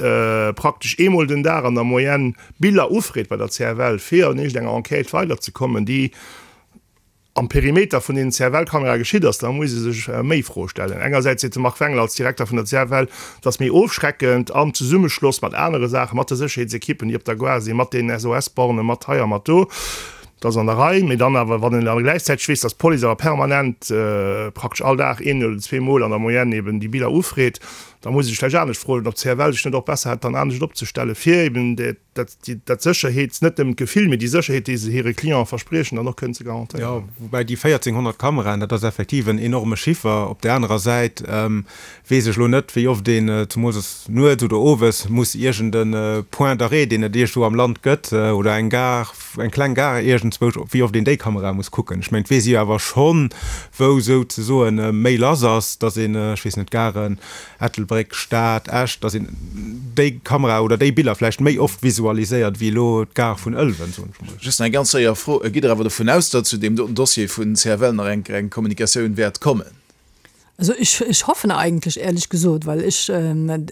praktesch eemol den Dag an der Moyenne Biller ufreet bei der CFL, fir an iergendenger Enquête weiderzekommen, déi am Perimeter vun deenen CFL-Kamerae geschitt ass, da muss ee sech méi Froe stellen. Engersäits seet de Marc Wengler als Direkter vun der CFL, et ass méi ofschreckend am Zesummeschloss mat anere Saachen, mat de Sécherheetsekippen, déi op der Gare sinn, mat den SOS-Bornen, mat hei a mat do. Dat ass an der Rei. Mee dann awer, wann een da gläichzäiteg weess, datt d'Police awer permanent, praktesch all Dag een oder zweemol an der Moyenne eben déi Biller ufreet, Da muss ee sech vläicht anescht froen, ob d'CFL sech net och besser hätt dann anescht opzestellen, fir eben dat, dat Sécherheets, net nëmmen d'Gefill, mee déi Sécherheet, déi se hire Clienten verspriechen, dann och kënnen ze garantéieren. Jo, woubäi déi 1.400 Kameraen, dat ass effektiv en enorme Chiffer. Op där anerer Säit weess ech elo net, wéi oft een, zemools nuets oder owes, muss iergend e Point d'arrêt, deen et iergendwou am Land gëtt, oder eng Gare, eng kleng Gare iergendzwousch, wéi oft een déi Kamerae muss kucken. Ech mengen, et weess ee jo awer schonn, wou souzesoen méi lass ass, dass een, ech weess net, Garen, Ettelbréck, Stad, Esch, dass een déi Kamera oder déi Biller vläicht méi oft visualiséiert wéi elo d'Gare vun Ëlwen, soen ech mol. Just nach eng ganz séier Fro, Gitt Der awer dovun aus, datt zu deem doten Dossier vun CFL nach eng eng Kommunikatioun wäert kommen? Also ich, ich hoffen eigentlich ehrlich gesot, weil ich,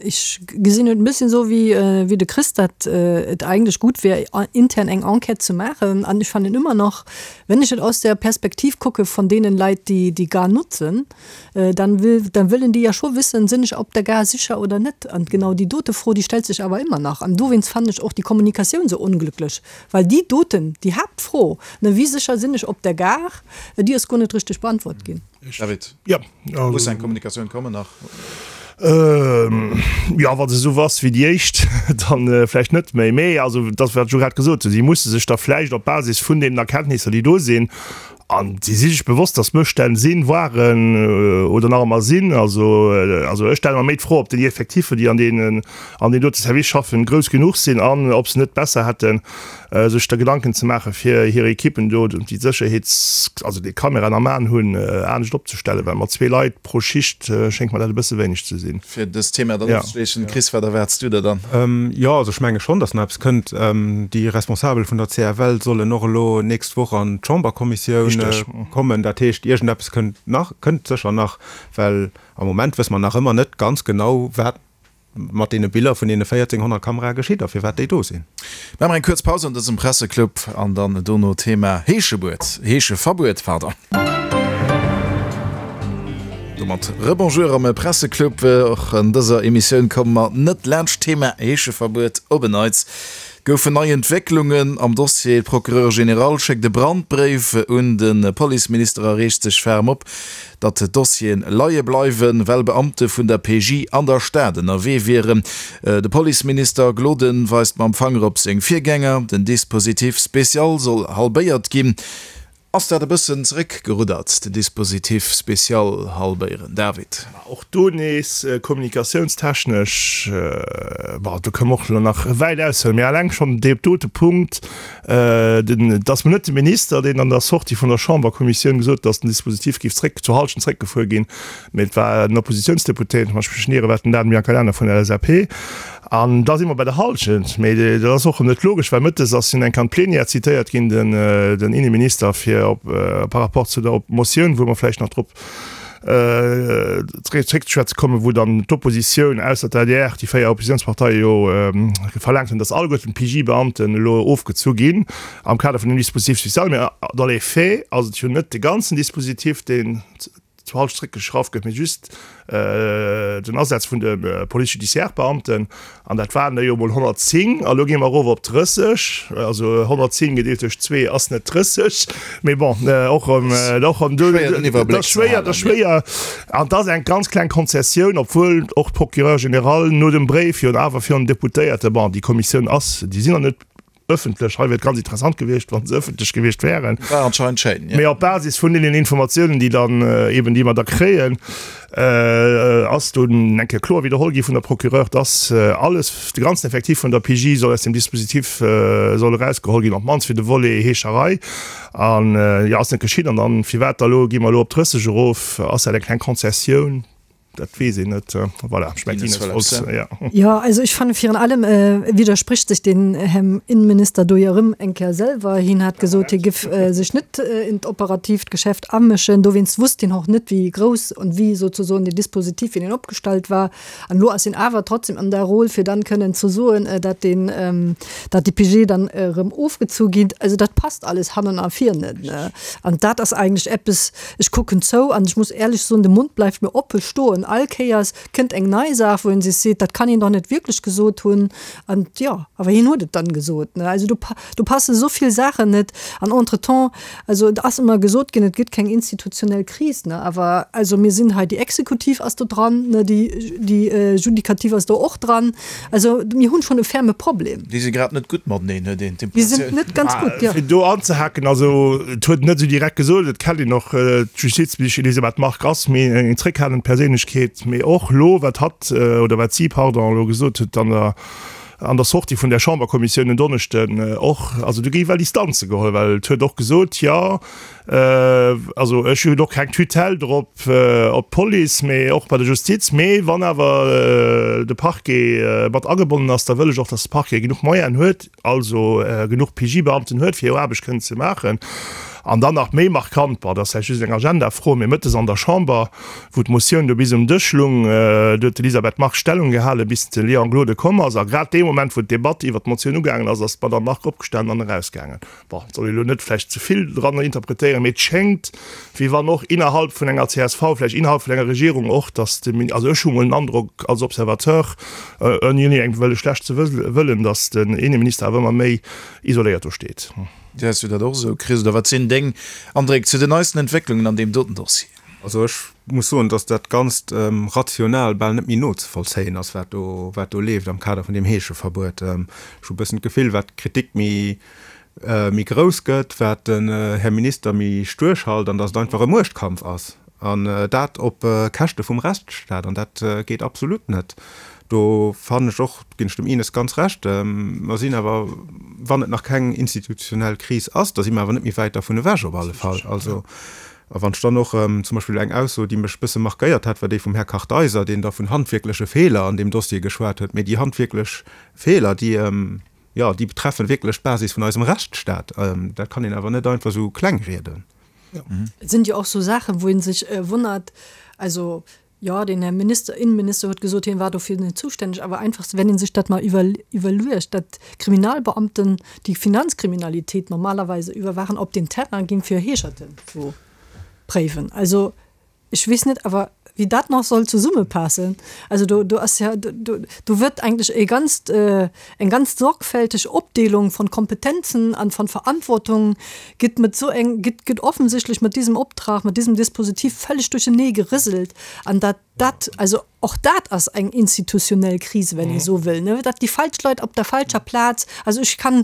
ich gesinn et e bësschen esou wéi, wéi de Chris, datt et eigentlech gutt wär intern eng Enquête ze maachen. An ech fannen ëmmer nach, wenn ech et aus der Perspektiv kucke von deenen Leit, déi déi Gare nutzen, dann will, dann wëllen déi ja scho wissen, sinn ech op der Gare sicher oder net? An genau déi dote Fro, déi stellt sech awer ëmmer nach. An dowéinst fannen ech och déi Kommunikatioun esou onglücklech, well déi doten, déi Haaptfro, ne, wéi sécher sinn ech op der Gare, déi ass guer net richteg beantwort ginn. David, ja, muss eng Kommunikatioun kommen nach? Ja, wa se esou ass wéi déi éischt, dann vläicht net méi. Mee also dat, wat ech elo grad gesot hunn, si musse sech da vläicht op Basis vun deenen Erkenntnisser, déi do sinn, an si si sech bewosst, datt Mësstänn sinn, waren oder nach ëmmer sinn. Also, also ech stelle mer méi d'Fro, ob déi Effektiffer, déi an deenen, an deem dote Service schaffen, grouss genuch sinn an ob se net besser hätten, sech da Gedanken ze maachen, fir hir Ekippen do, déi d'Sécherheets-, also déi d'Kameraen am Aen hunn, anescht opzestellen, well mat zwee Leit pro Schicht schéngt mer dat e bësse wéineg ze sinn. Fir dëst Thema dann ofzeschléissen, Chris, wat erwaarts du der dann? Jo, also ech menge schonn, datt nach eppes kënnt. Déi Responsabel vun der CFL sollen och elo nächst Woch an d'Chamberkommissioun kommen. Dat heescht, iergendeppes kënnt nach, kënnt sécher nach, well am Moment wësse mer nach ëmmer net ganz genau, wat mat deene Biller vun deene 1400 Kamerae geschitt a firwat déi do sinn. Maache mer eng kuerz Paus an dësem Presseclub an dann dono Thema Heeschebuet, Heescheverbuet, pardon. Domat Rebonjour am Presseclub. Och an dëser Emissioun komme mer net laanscht d'Thema Heescheverbuet op en Neits. Goufen nei Entwécklungen am Dossier. D'Procureure générale schéckt e Brandbréif un de Policeminister a reegt sech ferm op, datt d'Dossieren leie bleiwen, well Beamte vun der PJ an der Stad ënnerwee wieren. De Policeminister Gloden weist mam Fanger op seng Virgänger. Den Dispositif spécial soll halbéiert ginn. Ass dat e bëssen zeréckgeruddert, den Dispositif spécial halbéieren, David? Ma och do nees kommunikatiounstechnesch, bon, do kënne mer och elo nach wäit aushuelen, mee eleng schonn dee dote Punkt, den, et ass mol net de Minister, deen an der Sortie vun der Chamberkommissioun gesot huet, datt den Dispositif géif zréck, zur Hallschent zréckgefuer ginn, mee et war en Oppositionsdeputéierten, wann ech mech net ieren, war et den Dan Biancalana vun der LSAP. An da si mer bei der Hallschent. Mee dat ass och erëm net logesch, well mëttes ass hien eng Kéier an d'Plenière zitéiert ginn, den Inneminister, fir op par rapport zu der Motioun, wou mer vläicht nach drop zréckzeschwätze kommen, wou dann d'Oppositioun, ausser d'ADR, déi 4 Oppositionsparteie jo verlaangt hunn, datt alleguerten d'PJ-Beamten elo ofgezu ginn am Kader vun dem Dispositif spécial. Mee dans les faits ass et jo net de ganzen Dispositif, deen zur Halschent zréckgeschrauft gëtt, mee just den Asaz vun de Police judiciaire Beamten, an dat waren der jo emol 110, a lo gi mer erof op 30, also 110 gedeelt duerch zwee ass net 30, mee bon, och erëm, och erëm do, dat ass schwéier, dat ass schwéier, an dat ass eng ganz kleng Konzessioun, obwuel och d'Procureur général no dem Bréif jo awer virun den Deputéierte, bon, déi Kommissioun ass, déi sinn nach net Ëffentlech, hei wier et ganz interessant gewiescht, wa se ëffentlech gewiescht wären. War anscheinend schéin, jo. Mee op Basis vun deenen Informatiounen, déi dann eben, déi mer da kréien, ass dunn eng Kéier kloer widderholl gi vun der Procureur, dass alles, de ganzen Effectif vun der PJ soll aus dem Dispositif soll erausgeholl ginn, op d'mannst fir de Volet Heescherei. An, jo, ass net geschitt. An dann, firwat da elo, gi mer elo op 30 erof? Ass dat eng kleng Konzessioun? Dat weess een net. Voilà, ech mengen, Ines wollt, ja. Jo, also ech fanne virun allem widderspricht sech den Här Innenminister do jo erëm eng Kéier selwer. Hien hat gesot, hie giff sech net in d'operatiivt Geschäft amëschen. Dowéinst wusst hien och net, wéi grouss und wéi sozusoen deen Dispositif, wéi deen opgestallt war. An elo ass hien awer trotzdem an der Rôle, fir dann kënnen ze soen, dat deen, dat déi PG dann erëm ofgezu ginn. Also dat passt alles hannen a vir net. An dat ass eigentlech eppes, Ech kucken zou an ech muss éierlech soen, de Mond bleift mir oppe stoen. All Kéiers kënnt eng nei Saach, wou een sech seet, dat kann hien doch net wierklech gesot hunn. An jo, awer hien huet et dann gesot, ne? Also do, do passe sou vill Saachen net. An entretemps, also et ass ëmmer gesot ginn, et gëtt keng institutionell Kris, ne? Awer also mir sinn hei, déi Exekutiv ass do dran, ne, déi, déi Judikativ ass do och dran. Also mir hunn schonn e ferme Problem. Déi si grad net gutt mateneen, huet een Déi sinn d'Impressioun. net ganz gutt, jo. Fir do anzehaken, also et huet en net esou direkt gesot, et kennt een och d'Justizministesch Elisabeth Margue ass méi eng zréckhalend Perséinlechkeet, mee och elo wat hatt, oder wat si, pardon, elo gesot huet an der an der Sortie vun där Chamberkommissioun en Donneschden och, also do gi well Distanze geholl, well et huet och gesot, jo, Also ech hunn och keng Tutelle drop op d'Police, mee och bei der Justiz. Mee wann awer de Parquet mat agebonnen ass, da wëll ech och, datt de Parquet genuch Moyenen huet, also genuch PJ-Beamten huet, fir hir Aarbecht kënnen ze maachen. An dann nach méi markant, bon, dat ass vläicht just eng Agendafro, mee mëttes an der Chamber, wou d'Motioun do bis um Dësch lung, do huet d'Elisabeth Margue Stellung gehalen, bis de Léon Gloden komm ass. A grad dee Moment, wou d'Debatt iwwert d'Motioun ugaangen ass, ass d'Madame Margue opgestanen an erausgaangen. Bon, et soll ee lo net vläicht ze vill dran interpretéieren, mee et schéngt, wéi wann och innerhalb vun enger csv, vläicht innerhalb vun enger Regierung och, datt de Min-, also ech hu mol den Androck als Observateur, ouni engem wëlle schlecht ze wëllen, datt den Inneminister awer ëmmer méi isoléiert do steet. Gesäis du dat och esou, Chris, oder wat sinn deng Andréck zu den neisten Entwécklungen an deem doten Dossier? Also ech muss soen, datt dat Ganzt rational bal net méi nozevollzéien ass, wat do, wat do leeft am Kader vun deem Heescheverbuet. Ech hu e bëssen d'Gefill, wat d'Kritik méi méi grouss gëtt, wat den Här Minister méi stuerch halt an datt et einfach e Muechtkampf ass an dat op Käschte vum Rechtsstaat an dat geet absolut net. Do fannen ech och, ginn ech dem Ines ganz Recht, mer sinn awer, wann et nach keng institutionell Kris ass, da si mer awer net méi wäit dervun ewech op alle Fall. Also, a wann ech dann och zum Beispill eng Ausso, déi mech e bësse markéiert hat, war déi vum Här Kartheiser, deen da vun handwierkleche Feeler an deem Dossier geschwat huet, mee déi handwierklech Feeler, déi, Jo, déi betreffen wierklech d'Basis vun eisem Rechtsstaat. Dat kann een awer net einfach esou kleng rieden. Et sinn jo och sou Saachen, wou ee sech wonnert, also jo, den Här Minister, Innenminister huet gesot, hien war dofir net zuständig, awer einfach, wenn ee sech dat mal iwwerluecht, datt Kriminalbeamten, déi Finanzkriminalitéit normalerweise iwwerwaachen, op den Terrain ginn, fir Heescherten zu préiwen. Also Ech weess net awer, wéi dat nach soll zesummepassen. Also do, do ass ja, do, do wërt eigentlech e ganzt, eng ganz sorgfälteg Opdeelung von Kompetenzen an von Verantwortung gëtt mat esou eng, gëtt, gëtt offensichtlech mat diesem Optrag, mat diesem Dispositif völlig duerchenee gerëselt. An dat. Dat, also och dat ass eng institutionell Kris, wenn ee esou wëll, ne, datt déi falsch Leit op der falscher Plaz, also ech kann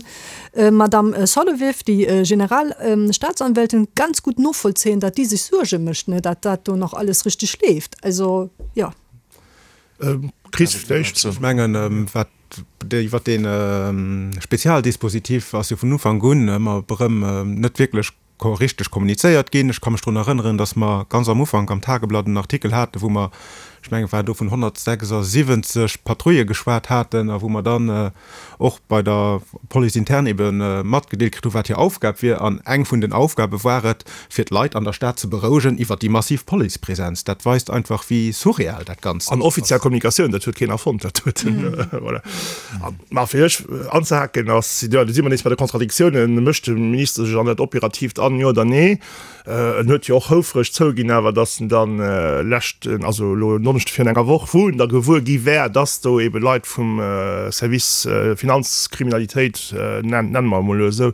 Madamm Solovieff, déi Generalstaatsanwältin, ganz gutt novollzéien, datt déi sech Suerge mécht, ne, datt dat do nach alles richteg leeft. Also, jo. Chris, vläicht? Ech mengen, wat iwwert dee Spezialdispositif ass jo vun Ufank un ëmmer erëm net wierklech richteg kommunizéiert ginn. Ech ka mech drun erënneren, dass mer ganz am Ufank am Tageblatt en Artikel haten, wou mer, ech mengen, et war do vun 176 Patrouillë geschwat haten a wou mer dann och bei der Police interne ebe matgedeelt kritt hu wat hir Aufgab wier. An eng vun den Aufgabe war et, fir d'Leit an der Stad ze berouegen iwwert déi massiv Policepresenz. Dat weist einfach, wéi surreal dat Ganzt An offiziell Kommunikatioun, dat huet keen erfonnt, dat huet, voilà. Mä fir lech anzehaken, ass, jo, do si mer nees bei de Kontradiktiounen, Mécht de Minister sech an dat Operatiivt an, jo oder nee? En huet jo och houfreg zouginn awer, datt en dann leschten, also elo en Donneschde virun enger Woch, wou en da gewuer gi wär, datt do eebe Leit vum Service Finanzkriminalitéit, nenne mer emol elo esou,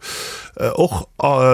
och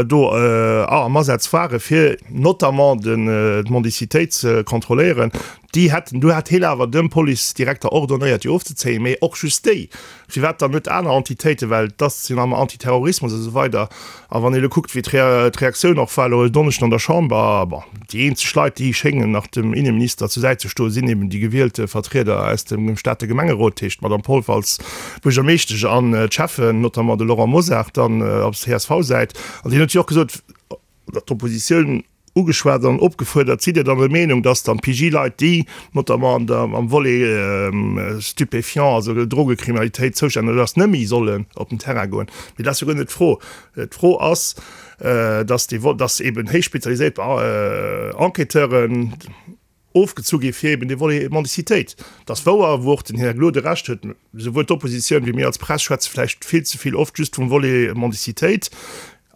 do am Asaz ware fir notamment d'Mendicitéit ze kontrolléieren. Déi hätten, du hat hien awer dem Policedirekter ordonnéiert, déi ofzezéien, mee och just déi. Firwat dann net aner Entitéiten? Well et ass jo nach ëmmer Antiterrorismus a sou weider. A wann ee elo kuckt, wéi d'Reaktioun och war elo e Donneschden an der Chamber, bon, déi eenzeg Leit, déi schéngen nach dem Inneminister zur Säit ze stoen, sinn eben déi gewielte Vertrieder aus dem Stater Gemengerot, dat heescht d'Madame Polfer als Buergermeeschtesch an d'Schäffen, notamment de Laurent Mosar dann op CSV-Säit. An deen huet jo och gesot, datt d'Oppositioun ugeschwat an opgefuerdert, Sidd Dir dann der Meenung, dass dann d'PJ-Leit, déi notamment an der, am Volet Stupéfiants, also Drogekriminalitéit zoustänneg ass, net méi sollen op den Terrain goen? Mee dat ass jo guer net d'Fro. D'Fro ass, dass déi, dass eben héich spezialiséiert Enquêteuren ofgezu gi fir eben dee Volet Mendicitéit. Et ass wouer, wou och den Här Gloden Recht huet, souwuel d'Oppositioun wéi mir als Press schwätze vläicht vill ze vill oft just vum Volet Mendicitéit.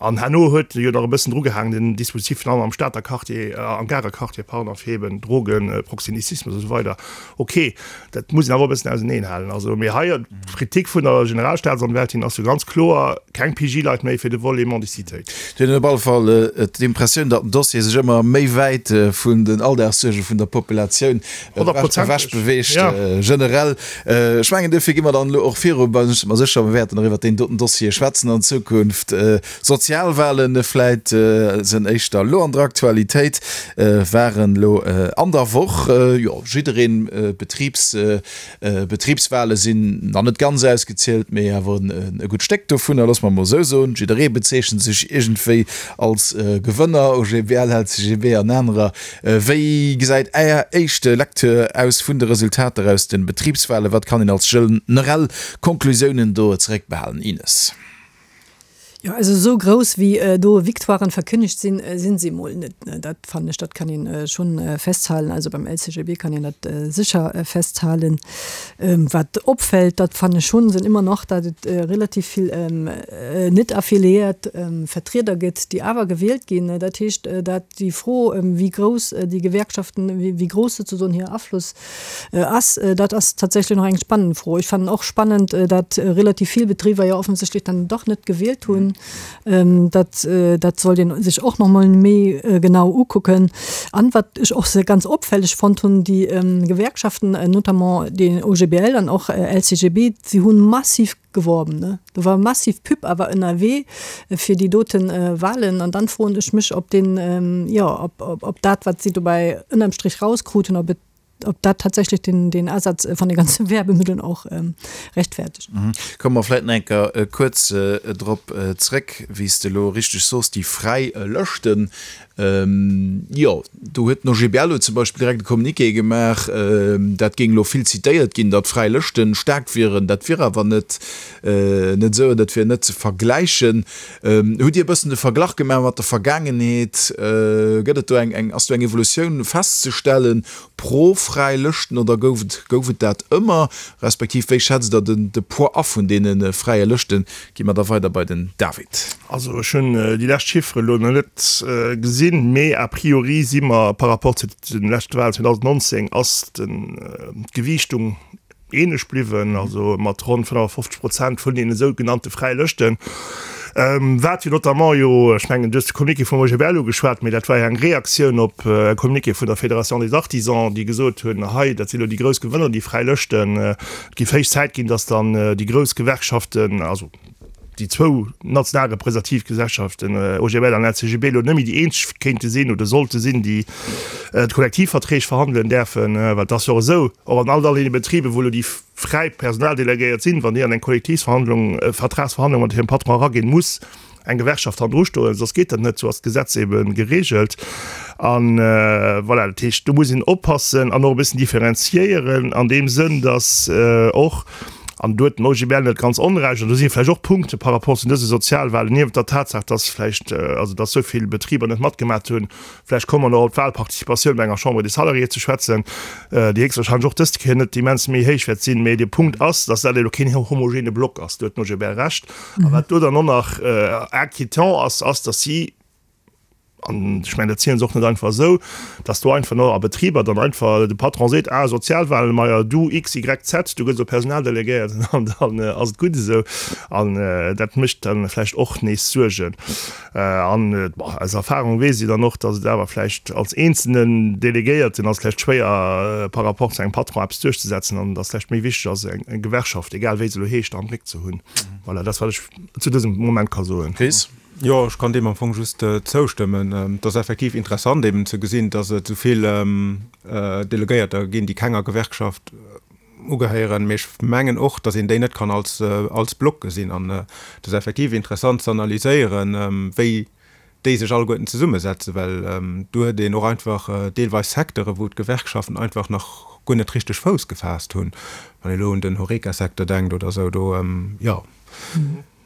An herno huet e jo nach e bëssen drugehaangen, den Dispositif virun allem am Stater Quartier, am Garer Quartier, pardon, fir eben Drogen, Proxénétismus a sou weider. Ok, dat muss een awer e bëssen auseneenhalen. Also, mee hei, d'Kritik vun der Generalstaatsanwältin ass jo ganz kloer, keng PJ-Leit méi fir de Volet Mendicitéit. Et huet een op alle Fall d'Impressioun, datt den Dossier sech ëmmer méi wäit vun den Alldagssuerge vun der Populatioun ewech beweegt. Generell, ech mengen, duerfir gi mer dann elo och viru. Ech si mer sécher, mer wäerten nach iwwert deen doten Dossier schwätzen an Zukunft. Sozialwahlen vläit sënn éischter elo an der Aktualitéit, waren elo an der Woch. Jo, jiddereen, Betribs, Betribswahle sinn nach net ganz ausgezielt, mee awer e gutt Stéck dovunner, loosse mer emol esou soen. Jidderee bezeechent sech iergendwéi als Gewënner, OGBL, LCGB an anerer. Wéi gesäit Är éischt Lecture aus vun de Resultater aus de Betribswahlen? Wat kann een als generell Konklusiounen do zeréckbehalen? Ines. Jo, also esou grouss wéi do Victoiren verkünnegt sinn, sinn se emol net. Dat fannen ech, dat kann een schonn festhalen. Also beim LCGB kann een dat sécher festhalen. Wat opfält, dat fannen ech schonn, sinn ëmmer nach, datt et relativ vill net affiliéiert Vertrieder gëtt, déi awer gewielt ginn. Dat heescht, dat déi Fro, wéi grouss déi Gewerkschaften, wéi grouss souzesoen hir Afloss ass, dat ass tatsächlech nach eng spannend Fro. Ech fannen och spannend, datt relativ vill Betriber jo offensichtlech dann dach net gewielt hunn. Dat, dat sollt ee sech och nach emol méi genau ukucken. An wat ech och ganz opfälleg fonnt hunn, déi Gewerkschaften, notamment den OGBL an och LCGB, si hu massiv geworben, ne? Do war massiv Pub awer ënnerwee fir déi doten Wahlen. An dann froen ech mech, ob deen, jo, ob, ob dat, wat si dobäi ënnerm Strich rauskruten, ob et, ob dat tatsächlech den, den Asaz van de ganze Werbemëtteln och rechtfertigt. Komme mer vläit nach eng Kéier kuerz drop zréck, wéi s de elo richteg soos, déi fräi Lëschten. Jo, do huet den OGBL huet zum Beispill direkt e Communiqué gemaach, dat géing elo vill zitéiert ginn, datt fräi Lëschten staark wieren. Dat wier awer net net esou an dat wier net ze vergläichen. Hutt Dir e bëssen de Verglach gemaach mat der Vergaangenheet? Gëtt et do eng, eng, ass do eng Evolutioun festzestellen pro fräi Lëschten oder gouf et, gouf et dat ëmmer? Respektiv wéi schätzt Der den, de Poids a vun deene fräie Lëschten? Gi mer da weider bei den David. Also ech hunn déi lescht Chiffere elo nach net gesinn, mee a priori si mer par rapport zu de leschte Wahlen 2019 ass d'Gewiichtung ähnlech bliwwen, also mat ronn 55 Prozent vun deene sougenannte fräie Lëschten. Wat jo notamment jo, ech mengen, du hues de Communiqué vum OGBL ugeschwat, mee dat war jo eng Reaktioun op e Communiqué vun der Fédération des Artisans, déi gesot hunn, hei, dat sinn elo déi grouss Gewënner, déi fräi Lëschten, et géif héich Zäit ginn, datt dann déi grouss Gewerkschaften, also déi zwou national representativ Gesellschaften, OGBL an LCGB, elo net méi déi eenzeg kéinte sinn oder sollte sinn, déi d'Kollektivverträg verhandelen däerfen. Well et ass jo och esou, och an all deene Betriben, wou elo déi fräi Personaldelegéiert sinn, wann déi an eng Kollektivsverhandlung, Vertragsverhandlung mat hirem Patron eraginn, muss eng Gewerkschaft hannendru stoen, soss geet dat net, sou ass d'Gesetz ebe geregelt. A voilà, dat heescht, do muss een oppassen an och e bëssen differenziéieren an deem Sënn, datt och, an do huet den OGBL net ganz Onrecht, an do si vläicht och Punkte par rapport zu dëse Sozialwahlen, niewent der Tatsaach, datt vläicht, also datt esou vill Betriber net matgemat hunn, Vläicht komme mer nach op d'Wahlparticipatioun bei enger Chambre des Salariés ze schwätzen, déi héchstwahrscheinlech och dëst Kéier net immens méi héich wäert sinn. Mee de Punkt ass, dass dat elo keen homogene Block ass. Do huet den OGBL Recht. A wat do dann och nach inquiétant ass, ass, dass si, an ech mengen, dat zielen se och net einfach esou, dass do einfach nach a Betriber dann einfach de Patron seet, ah, Sozialwahlen, majo, du X, Y, Z, du gëss elo Personaldelegéiert an dann ass et gutt esou. An dat mécht dann vläicht och nees Suergen. An aus Erfahrung weess ee dann och, datt et awer vläicht als eenzelnen Delegéierten ass vläicht schwéier par rapport zu engem Patron eppes duerchzesetzen an datt vläicht méi wichteg ass, eng Gewerkschaft, egal wéi se elo heescht, am Réck ze hunn. Voilà, dat ass wat ech zu dësem Moment ka soen. Chris? Jo, ech kann deem am Fong just zoustëmmen. Et ass effektiv interessant eben ze gesinn, datt et esou vill Delegéierter ginn, déi kenger Gewerkschaft ugehéieren, mee ech mengen och, datt een déi net kann als als Block gesinn. An et ass effektiv interessant ze analyséieren, wéi déi sech alleguerten zesummesetzen, well do huet een och einfach deelweis Secteure wou d'Gewerkschaften einfach nach guer net richteg Fouss gefaasst hunn. Wann ee elo un den Horeca-Secteur denkt oder esou, do, jo,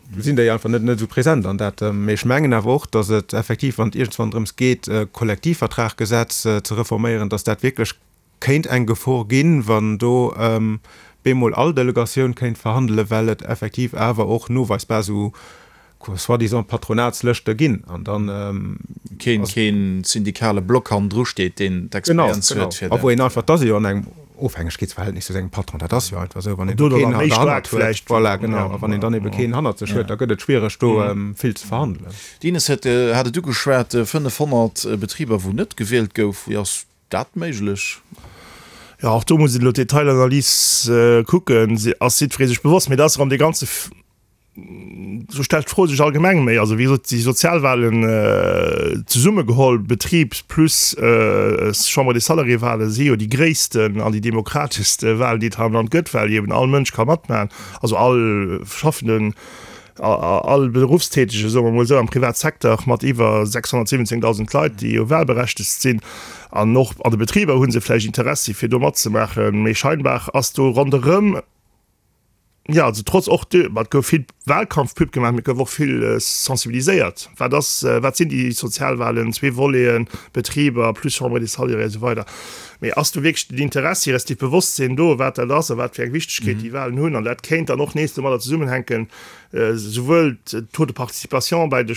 do sinn déi einfach net net esou present an dat. Mee ech mengen awer och, datt et effektiv, wann et iergendwann drëms geet, d'Kollektivvertraggesetz ze reforméieren, datt dat wierklech Kéint eng Gefor ginn, wann do bemol all Delegatioun kéint verhandelen, well et effektiv awer och noweisbar esou soi-disant Patronatslëschte ginn an dann ass. Keen syndikale Block hannendru steet, deen d'Experienz huet fir dat. A wou een einfach, et ass ee jo an engem Ofhängegkeetsverhältnis zu sengem Patron, dat ass jo einfach esou, wann een do keen derhannert huet, voilà, genau, a wann een dann ebe keen hannert sech huet, da gëtt et schwiereg do vill ze verhandelen. D'Ines huet hat et ugeschwat, 500 Betriber wou net gewielt gouf, wéi ass dat méiglech? Jo, och do muss een elo d'Detailanalys kucken. Se ass jiddweree sech bewosst, mee dat ass erëm dee ganze, sou stellt d'Fro sech allgemeng méi. Also wéi gesot, déi Sozialwahlen zesummegeholl, Betrib plus Chambre des Salariés-Wahlen, si jo déi gréissten an déi demokrateschste Wahlen, déi et hei am Land gëtt, well eben all Mënsch ka matmaachen, also all Schaffenden. All Beruffstätege, soe mer emol esou, am Privatsecteur mat iwwer 617.000 Leit, déi jo wahlberechtegt sinn, an och an de Betriber hu se vläicht Interessi fir do matzemaachen, mee scheinbar ass do ronderëm, jo, also trotz och de, ma et gouf vill Wahlkampfpub gemaach, mee et gouf och vill sensibiliséiert, wat ass, wat sinn déi Sozialwahlen, zwee Voleten, Betriber plus Chambre des Salariés a sou weider. Mee ass do wierklech den Interessi respektiv d'Bewosstsinn do, wat dat ass a wat fir eng Wichtegkeet déi Wahlen hunn? An dat kéint dann och nees domadder zesummenhänken, souwuel d'Taux de participation bei de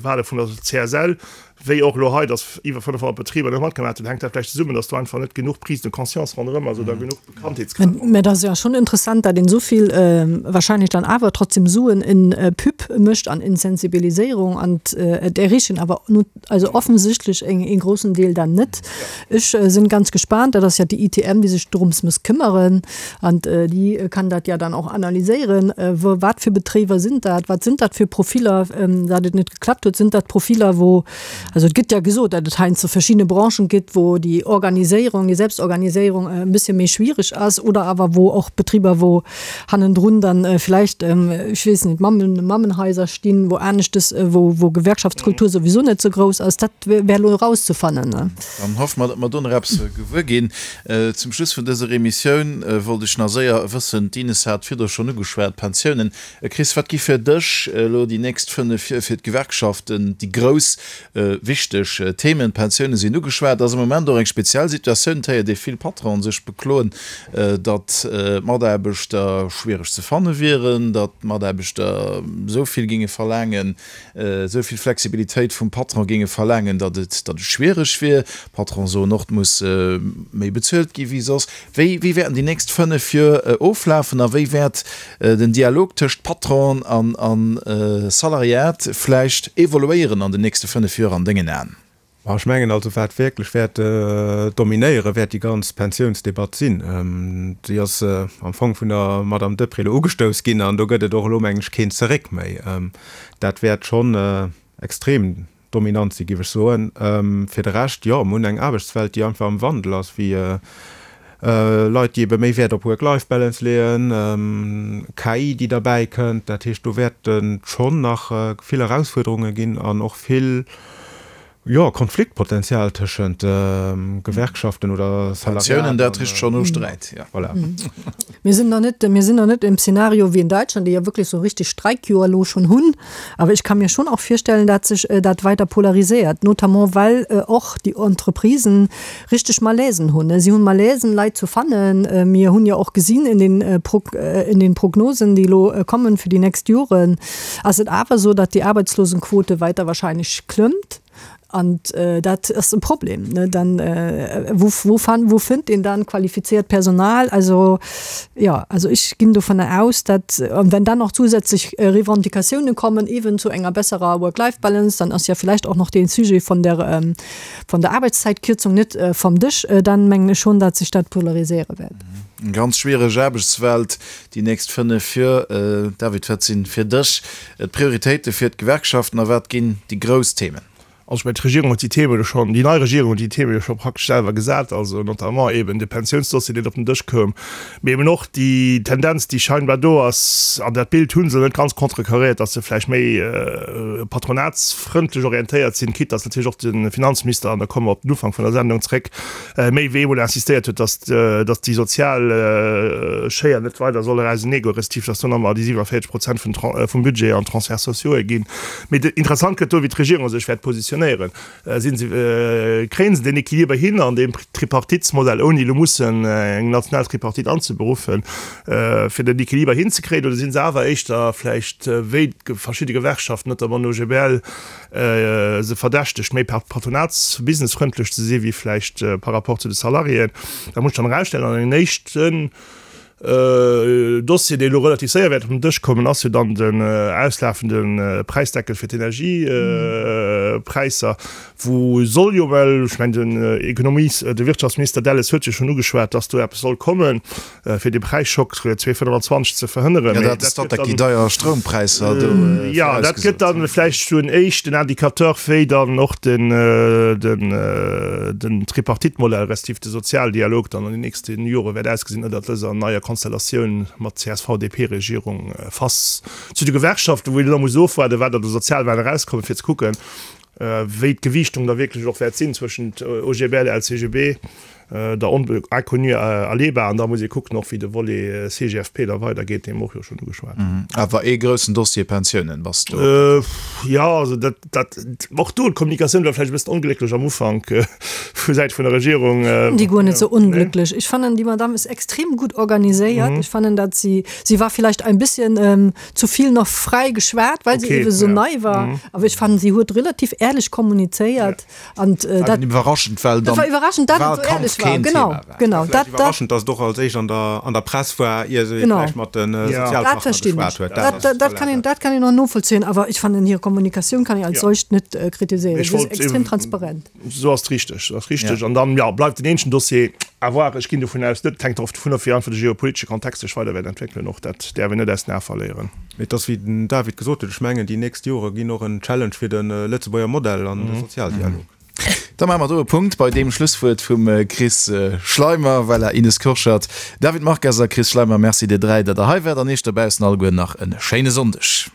Wahle vun der CSL, wéi och elo hei, datt iwwer 500 Betriber net matgemaach hunn. Hänkt dat vläicht zesummen, datt do einfach net genuch Prise de conscience ronderëm ass oder genuch Bekanntheetsgrad? Mä et ass jo schonn interessant, datt een esou vill wahrscheinlech dann awer trotzdem Suen in Pub mécht an in Sensibiliséierung an et erreechen awer Also offensichtlech eng een grossen Deel dann net. Ech sinn ganz gespaant, dat ass ja déi ITM, déi sech dorëms muss këmmeren an déi kann dat ja dann och analyséieren, wou wat fir Betréiwer sinn dat, wat sinn dat fir Profiller, dat et net geklappt huet. Sinn dat Profiller wou, also et gëtt ja gesot, dat et heiansdo verschidde Branchen gëtt, wou déi Organiséierung, déi Selbstorganiséierung e bëssche méi schwiereg ass oder awer wou och Betriber, wou hannendrun dann vläicht, ech weess net, Mammen, Mammenhaiser stinn, wou aneschtes, wou, wou Gewerkschaftskultur souwisou net sou grouss ass. Dat wär elo erauszefannen. Dann hoffe mer, datt mer do nach eppes gewuer ginn. Zum Schluss vun dëser Emissioun wollt ech nach séier wëssen, d'Ines hat virdru schonn ugeschwat, d'Pensiounen. Chris, wat gi fir dech elo déi nächst 5 Joer fir d'Gewerkschaften déi grouss Wichteg Themen, d'Pensioune sinn ugeschwat. Ass am Moment och eng speziell Situatioun. Et héiert ee vill Patronen sech bekloen, datt d'Mataarbechter schwiereg ze fanne wieren, datt d'Mataarbechter esou vill géinge verlaangen, esou vill Flexibilitéit vum Patron géinge verlaangen, datt et datt et schwiereg wier. D'Patronen. D'Patronen soen och, et muss méi bezuelt gi wéi soss. Wéi wéi wäerten déi nächst 5 Joer oflafen a wéi wäert den Dialog tëscht Patron an a Salariat vläicht evoluéieren an den nächste 5 Joer an dengen Aen? Ma ech mengen also, wat wierklech wäert dominéieren, wäert déi ganz Pensiounsdebatt sinn. Déi ass am Fong vun der Madame Deprez elo ugestouss ginn an do gëtt et och elo, mengen ech, keen Zeréck méi. Dat wäert schonn extrem dominant sinn, géif ech soen. Fir de Rescht, jo, mir hunn eng Aarbechtswelt, déi einfach am Wandel ass, wéi Leit, déi ebe méi Wäert op Work-Life-Balance leeën, KI, déi derbäi kënnt. Dat heescht, do wäerte schonn nach vill Erausfuerderunge ginn an och vill, jo, Konfliktpotenzial tëschent Gewerkschaften oder Salariaten. Pensiounen, dat richt schonn no Sträit, jo. Voilà. Mir sinn nach net, mir sinn nach net im Szenario wéi in Deutschland, déi jo wierklech sou richtig Streikjoer elo schonn hunn. Awer ech ka mir schon och virstellen, dat sech dat weider polariséiert, notamment well och déi Entreprisen richteg Malaisen hunn. Si hunn Malaisen, Leit zu fannen. Mir hunn jo och gesinn in den, in den Prognosen, déi elo kommen fir déi nächst Joren, ass et awer esou, datt déi Arbeitslosenquote weiter wahrscheinlech klëmmt. An dat ass e Problem. Dann, wou, wou fan, wou fënnt een dann qualifiziert Personal? Also, jo, also ech ginn dovunner aus, datt, an wenn dann nach zusätzlech Revendicatiounen kommen, eeben zu enger besserer Work-Life-Balance, dann ass ja vielleicht och noch dee Sujet von der, von der Arbeitszeitkürzung net vom Dësch, dann mengen ech schon, datt sech dat polariséiere wäert. Eng ganz schwiereg Aarbechtswelt déi nächst 5 Joer. David, wat sinn fir dech D'Prioritéite fir d'Gewerkschaften a wat ginn déi grouss Themen? Also ech mengen, d'Regierung huet déi Themen jo schonn, déi nei Regierung huet déi Themen jo scho praktesch selwer gesat, also notamment eben de Pensiounsdossier, deen op den Dësch koum, mee eben och déi Tendenz, déi scheinbar do ass, an dat Bild hu se net ganz contrecarréiert, datt se vläicht méi patronatsfrëndlech orientéiert sinn, quitte datt natierlech och de Finanzminister, an da komme mer op den Ufank vun der Sendung zréck, méi wéi eemol insistéiert huet, dass, dass déi sozial Schéier net weider soll auseneegoen, respektiv dass do nach emol déi 47 Prozent vun, vum Budget an Transferts sociaux'e ginn. Mee interessant gëtt do, wéi d'Regierung sech wäert positionéieren. Sinn se, kréien se deen Equiliber hin an deem Tripartitsmodell, ouni elo mussen eng national Tripartite anzeberuffen, fir den Equiliber hinzekréien, oder sinn se awer éischter vläicht wéi verschidde Gewerkschaften, notamment den OGBL, se verdächtegt, méi patronats-businessfrëndlech ze si wéi vläicht par rapport zu de Salariéen. Dat muss sech dann erausstellen. An en éischten Dossier, dee elo relativ séier wäert op den Dësch kommen, ass jo dann den auslafende Präisdeckel fir d'Energiepräisser, wou soll jo, well ech mengen den Ekonomies-, de Wirtschaftsminister Delles huet jo schonn ugeschwat, dass do eppes soll kommen, fir de Präisschock 2025 ze verhënneren. Jo, dat ass dat, dat déi deier Stroumpräisser do virausgesot. Jo, dat gëtt dann vläicht sou en éischten Indicateur, wéi dann och den, den, den Tripartite-Modell respektiv de Sozialdialog dann an den nächste Jore wäert ausgesinn ënnert dëser neier Konstellatioun mat CSV-DP-Regierung face zu de Gewerkschaften, wou een elo muss ofwaarden, wat an de Sozialwahlen erauskommt, fir ze kucken, wéi d'Gewiichtung da wierklech och wäert sinn zwëschent OGBL, LCGB, der Inconnue Aleba. An da muss ee kucken och, wéi de Volet CGFP da weidergeet, dee mer och jo schonn ugeschwat hunn. Awer ee groussen Dossier Pensiounen, bass du. Jo, also dat, dat, och do, d'Kommunikatioun war vläicht e bëssen onglécklech am Ufank vu Säit vun der Regierung. Déi guer net sou onglécklech. Ech fannen, déi Madame ass extrem gutt organiséiert. Ech fannen, datt si, si war vielleicht ein bisschen zu vill nach fräi geschwat, well se ewe sou nei war. Awer ech fannen, si huet relativ ährlech kommunizéiert. An dat iwwerraschend, well dann war iwwerraschend, dat et sou ährlech war. Genau, genau. Dat iwwerraschend, datt et och als éischt an der, an der Press war, ier se vläicht mat de Sozialpartner geschwat huet. Dat, dat, dat kann een, dat kann een och novollzéien. Awer ech fannen, hir Kommunikatioun kann een als solcht net kritiséieren. Si ass extrem transparent. Sou ass et richteg, sou ass richteg. An dann, jo, bleift den eenzegen Dossier à voir. Ech ginn dovun aus, net, hänkt och dovun of, wéi einfach de geopolitesche Kontext sech weider wäert entwéckelen. Och dat däerf een net aus den Ae verléieren. Mee et ass, wéi den David gesot huet, ech mengen, déi nächst Jore ginn och en Challenge fir de Lëtzebuerger Modell an de Sozialdialog. Da maache mer do e Punkt bei deem Schlusswuert vum Chris Schleimer. Voilà, Ines Kurschat, David Marques a Chris Schleimer, Merci dir 3, datt der hei waart an Iech dobaussen alleguer nach e schéine Sonndeg.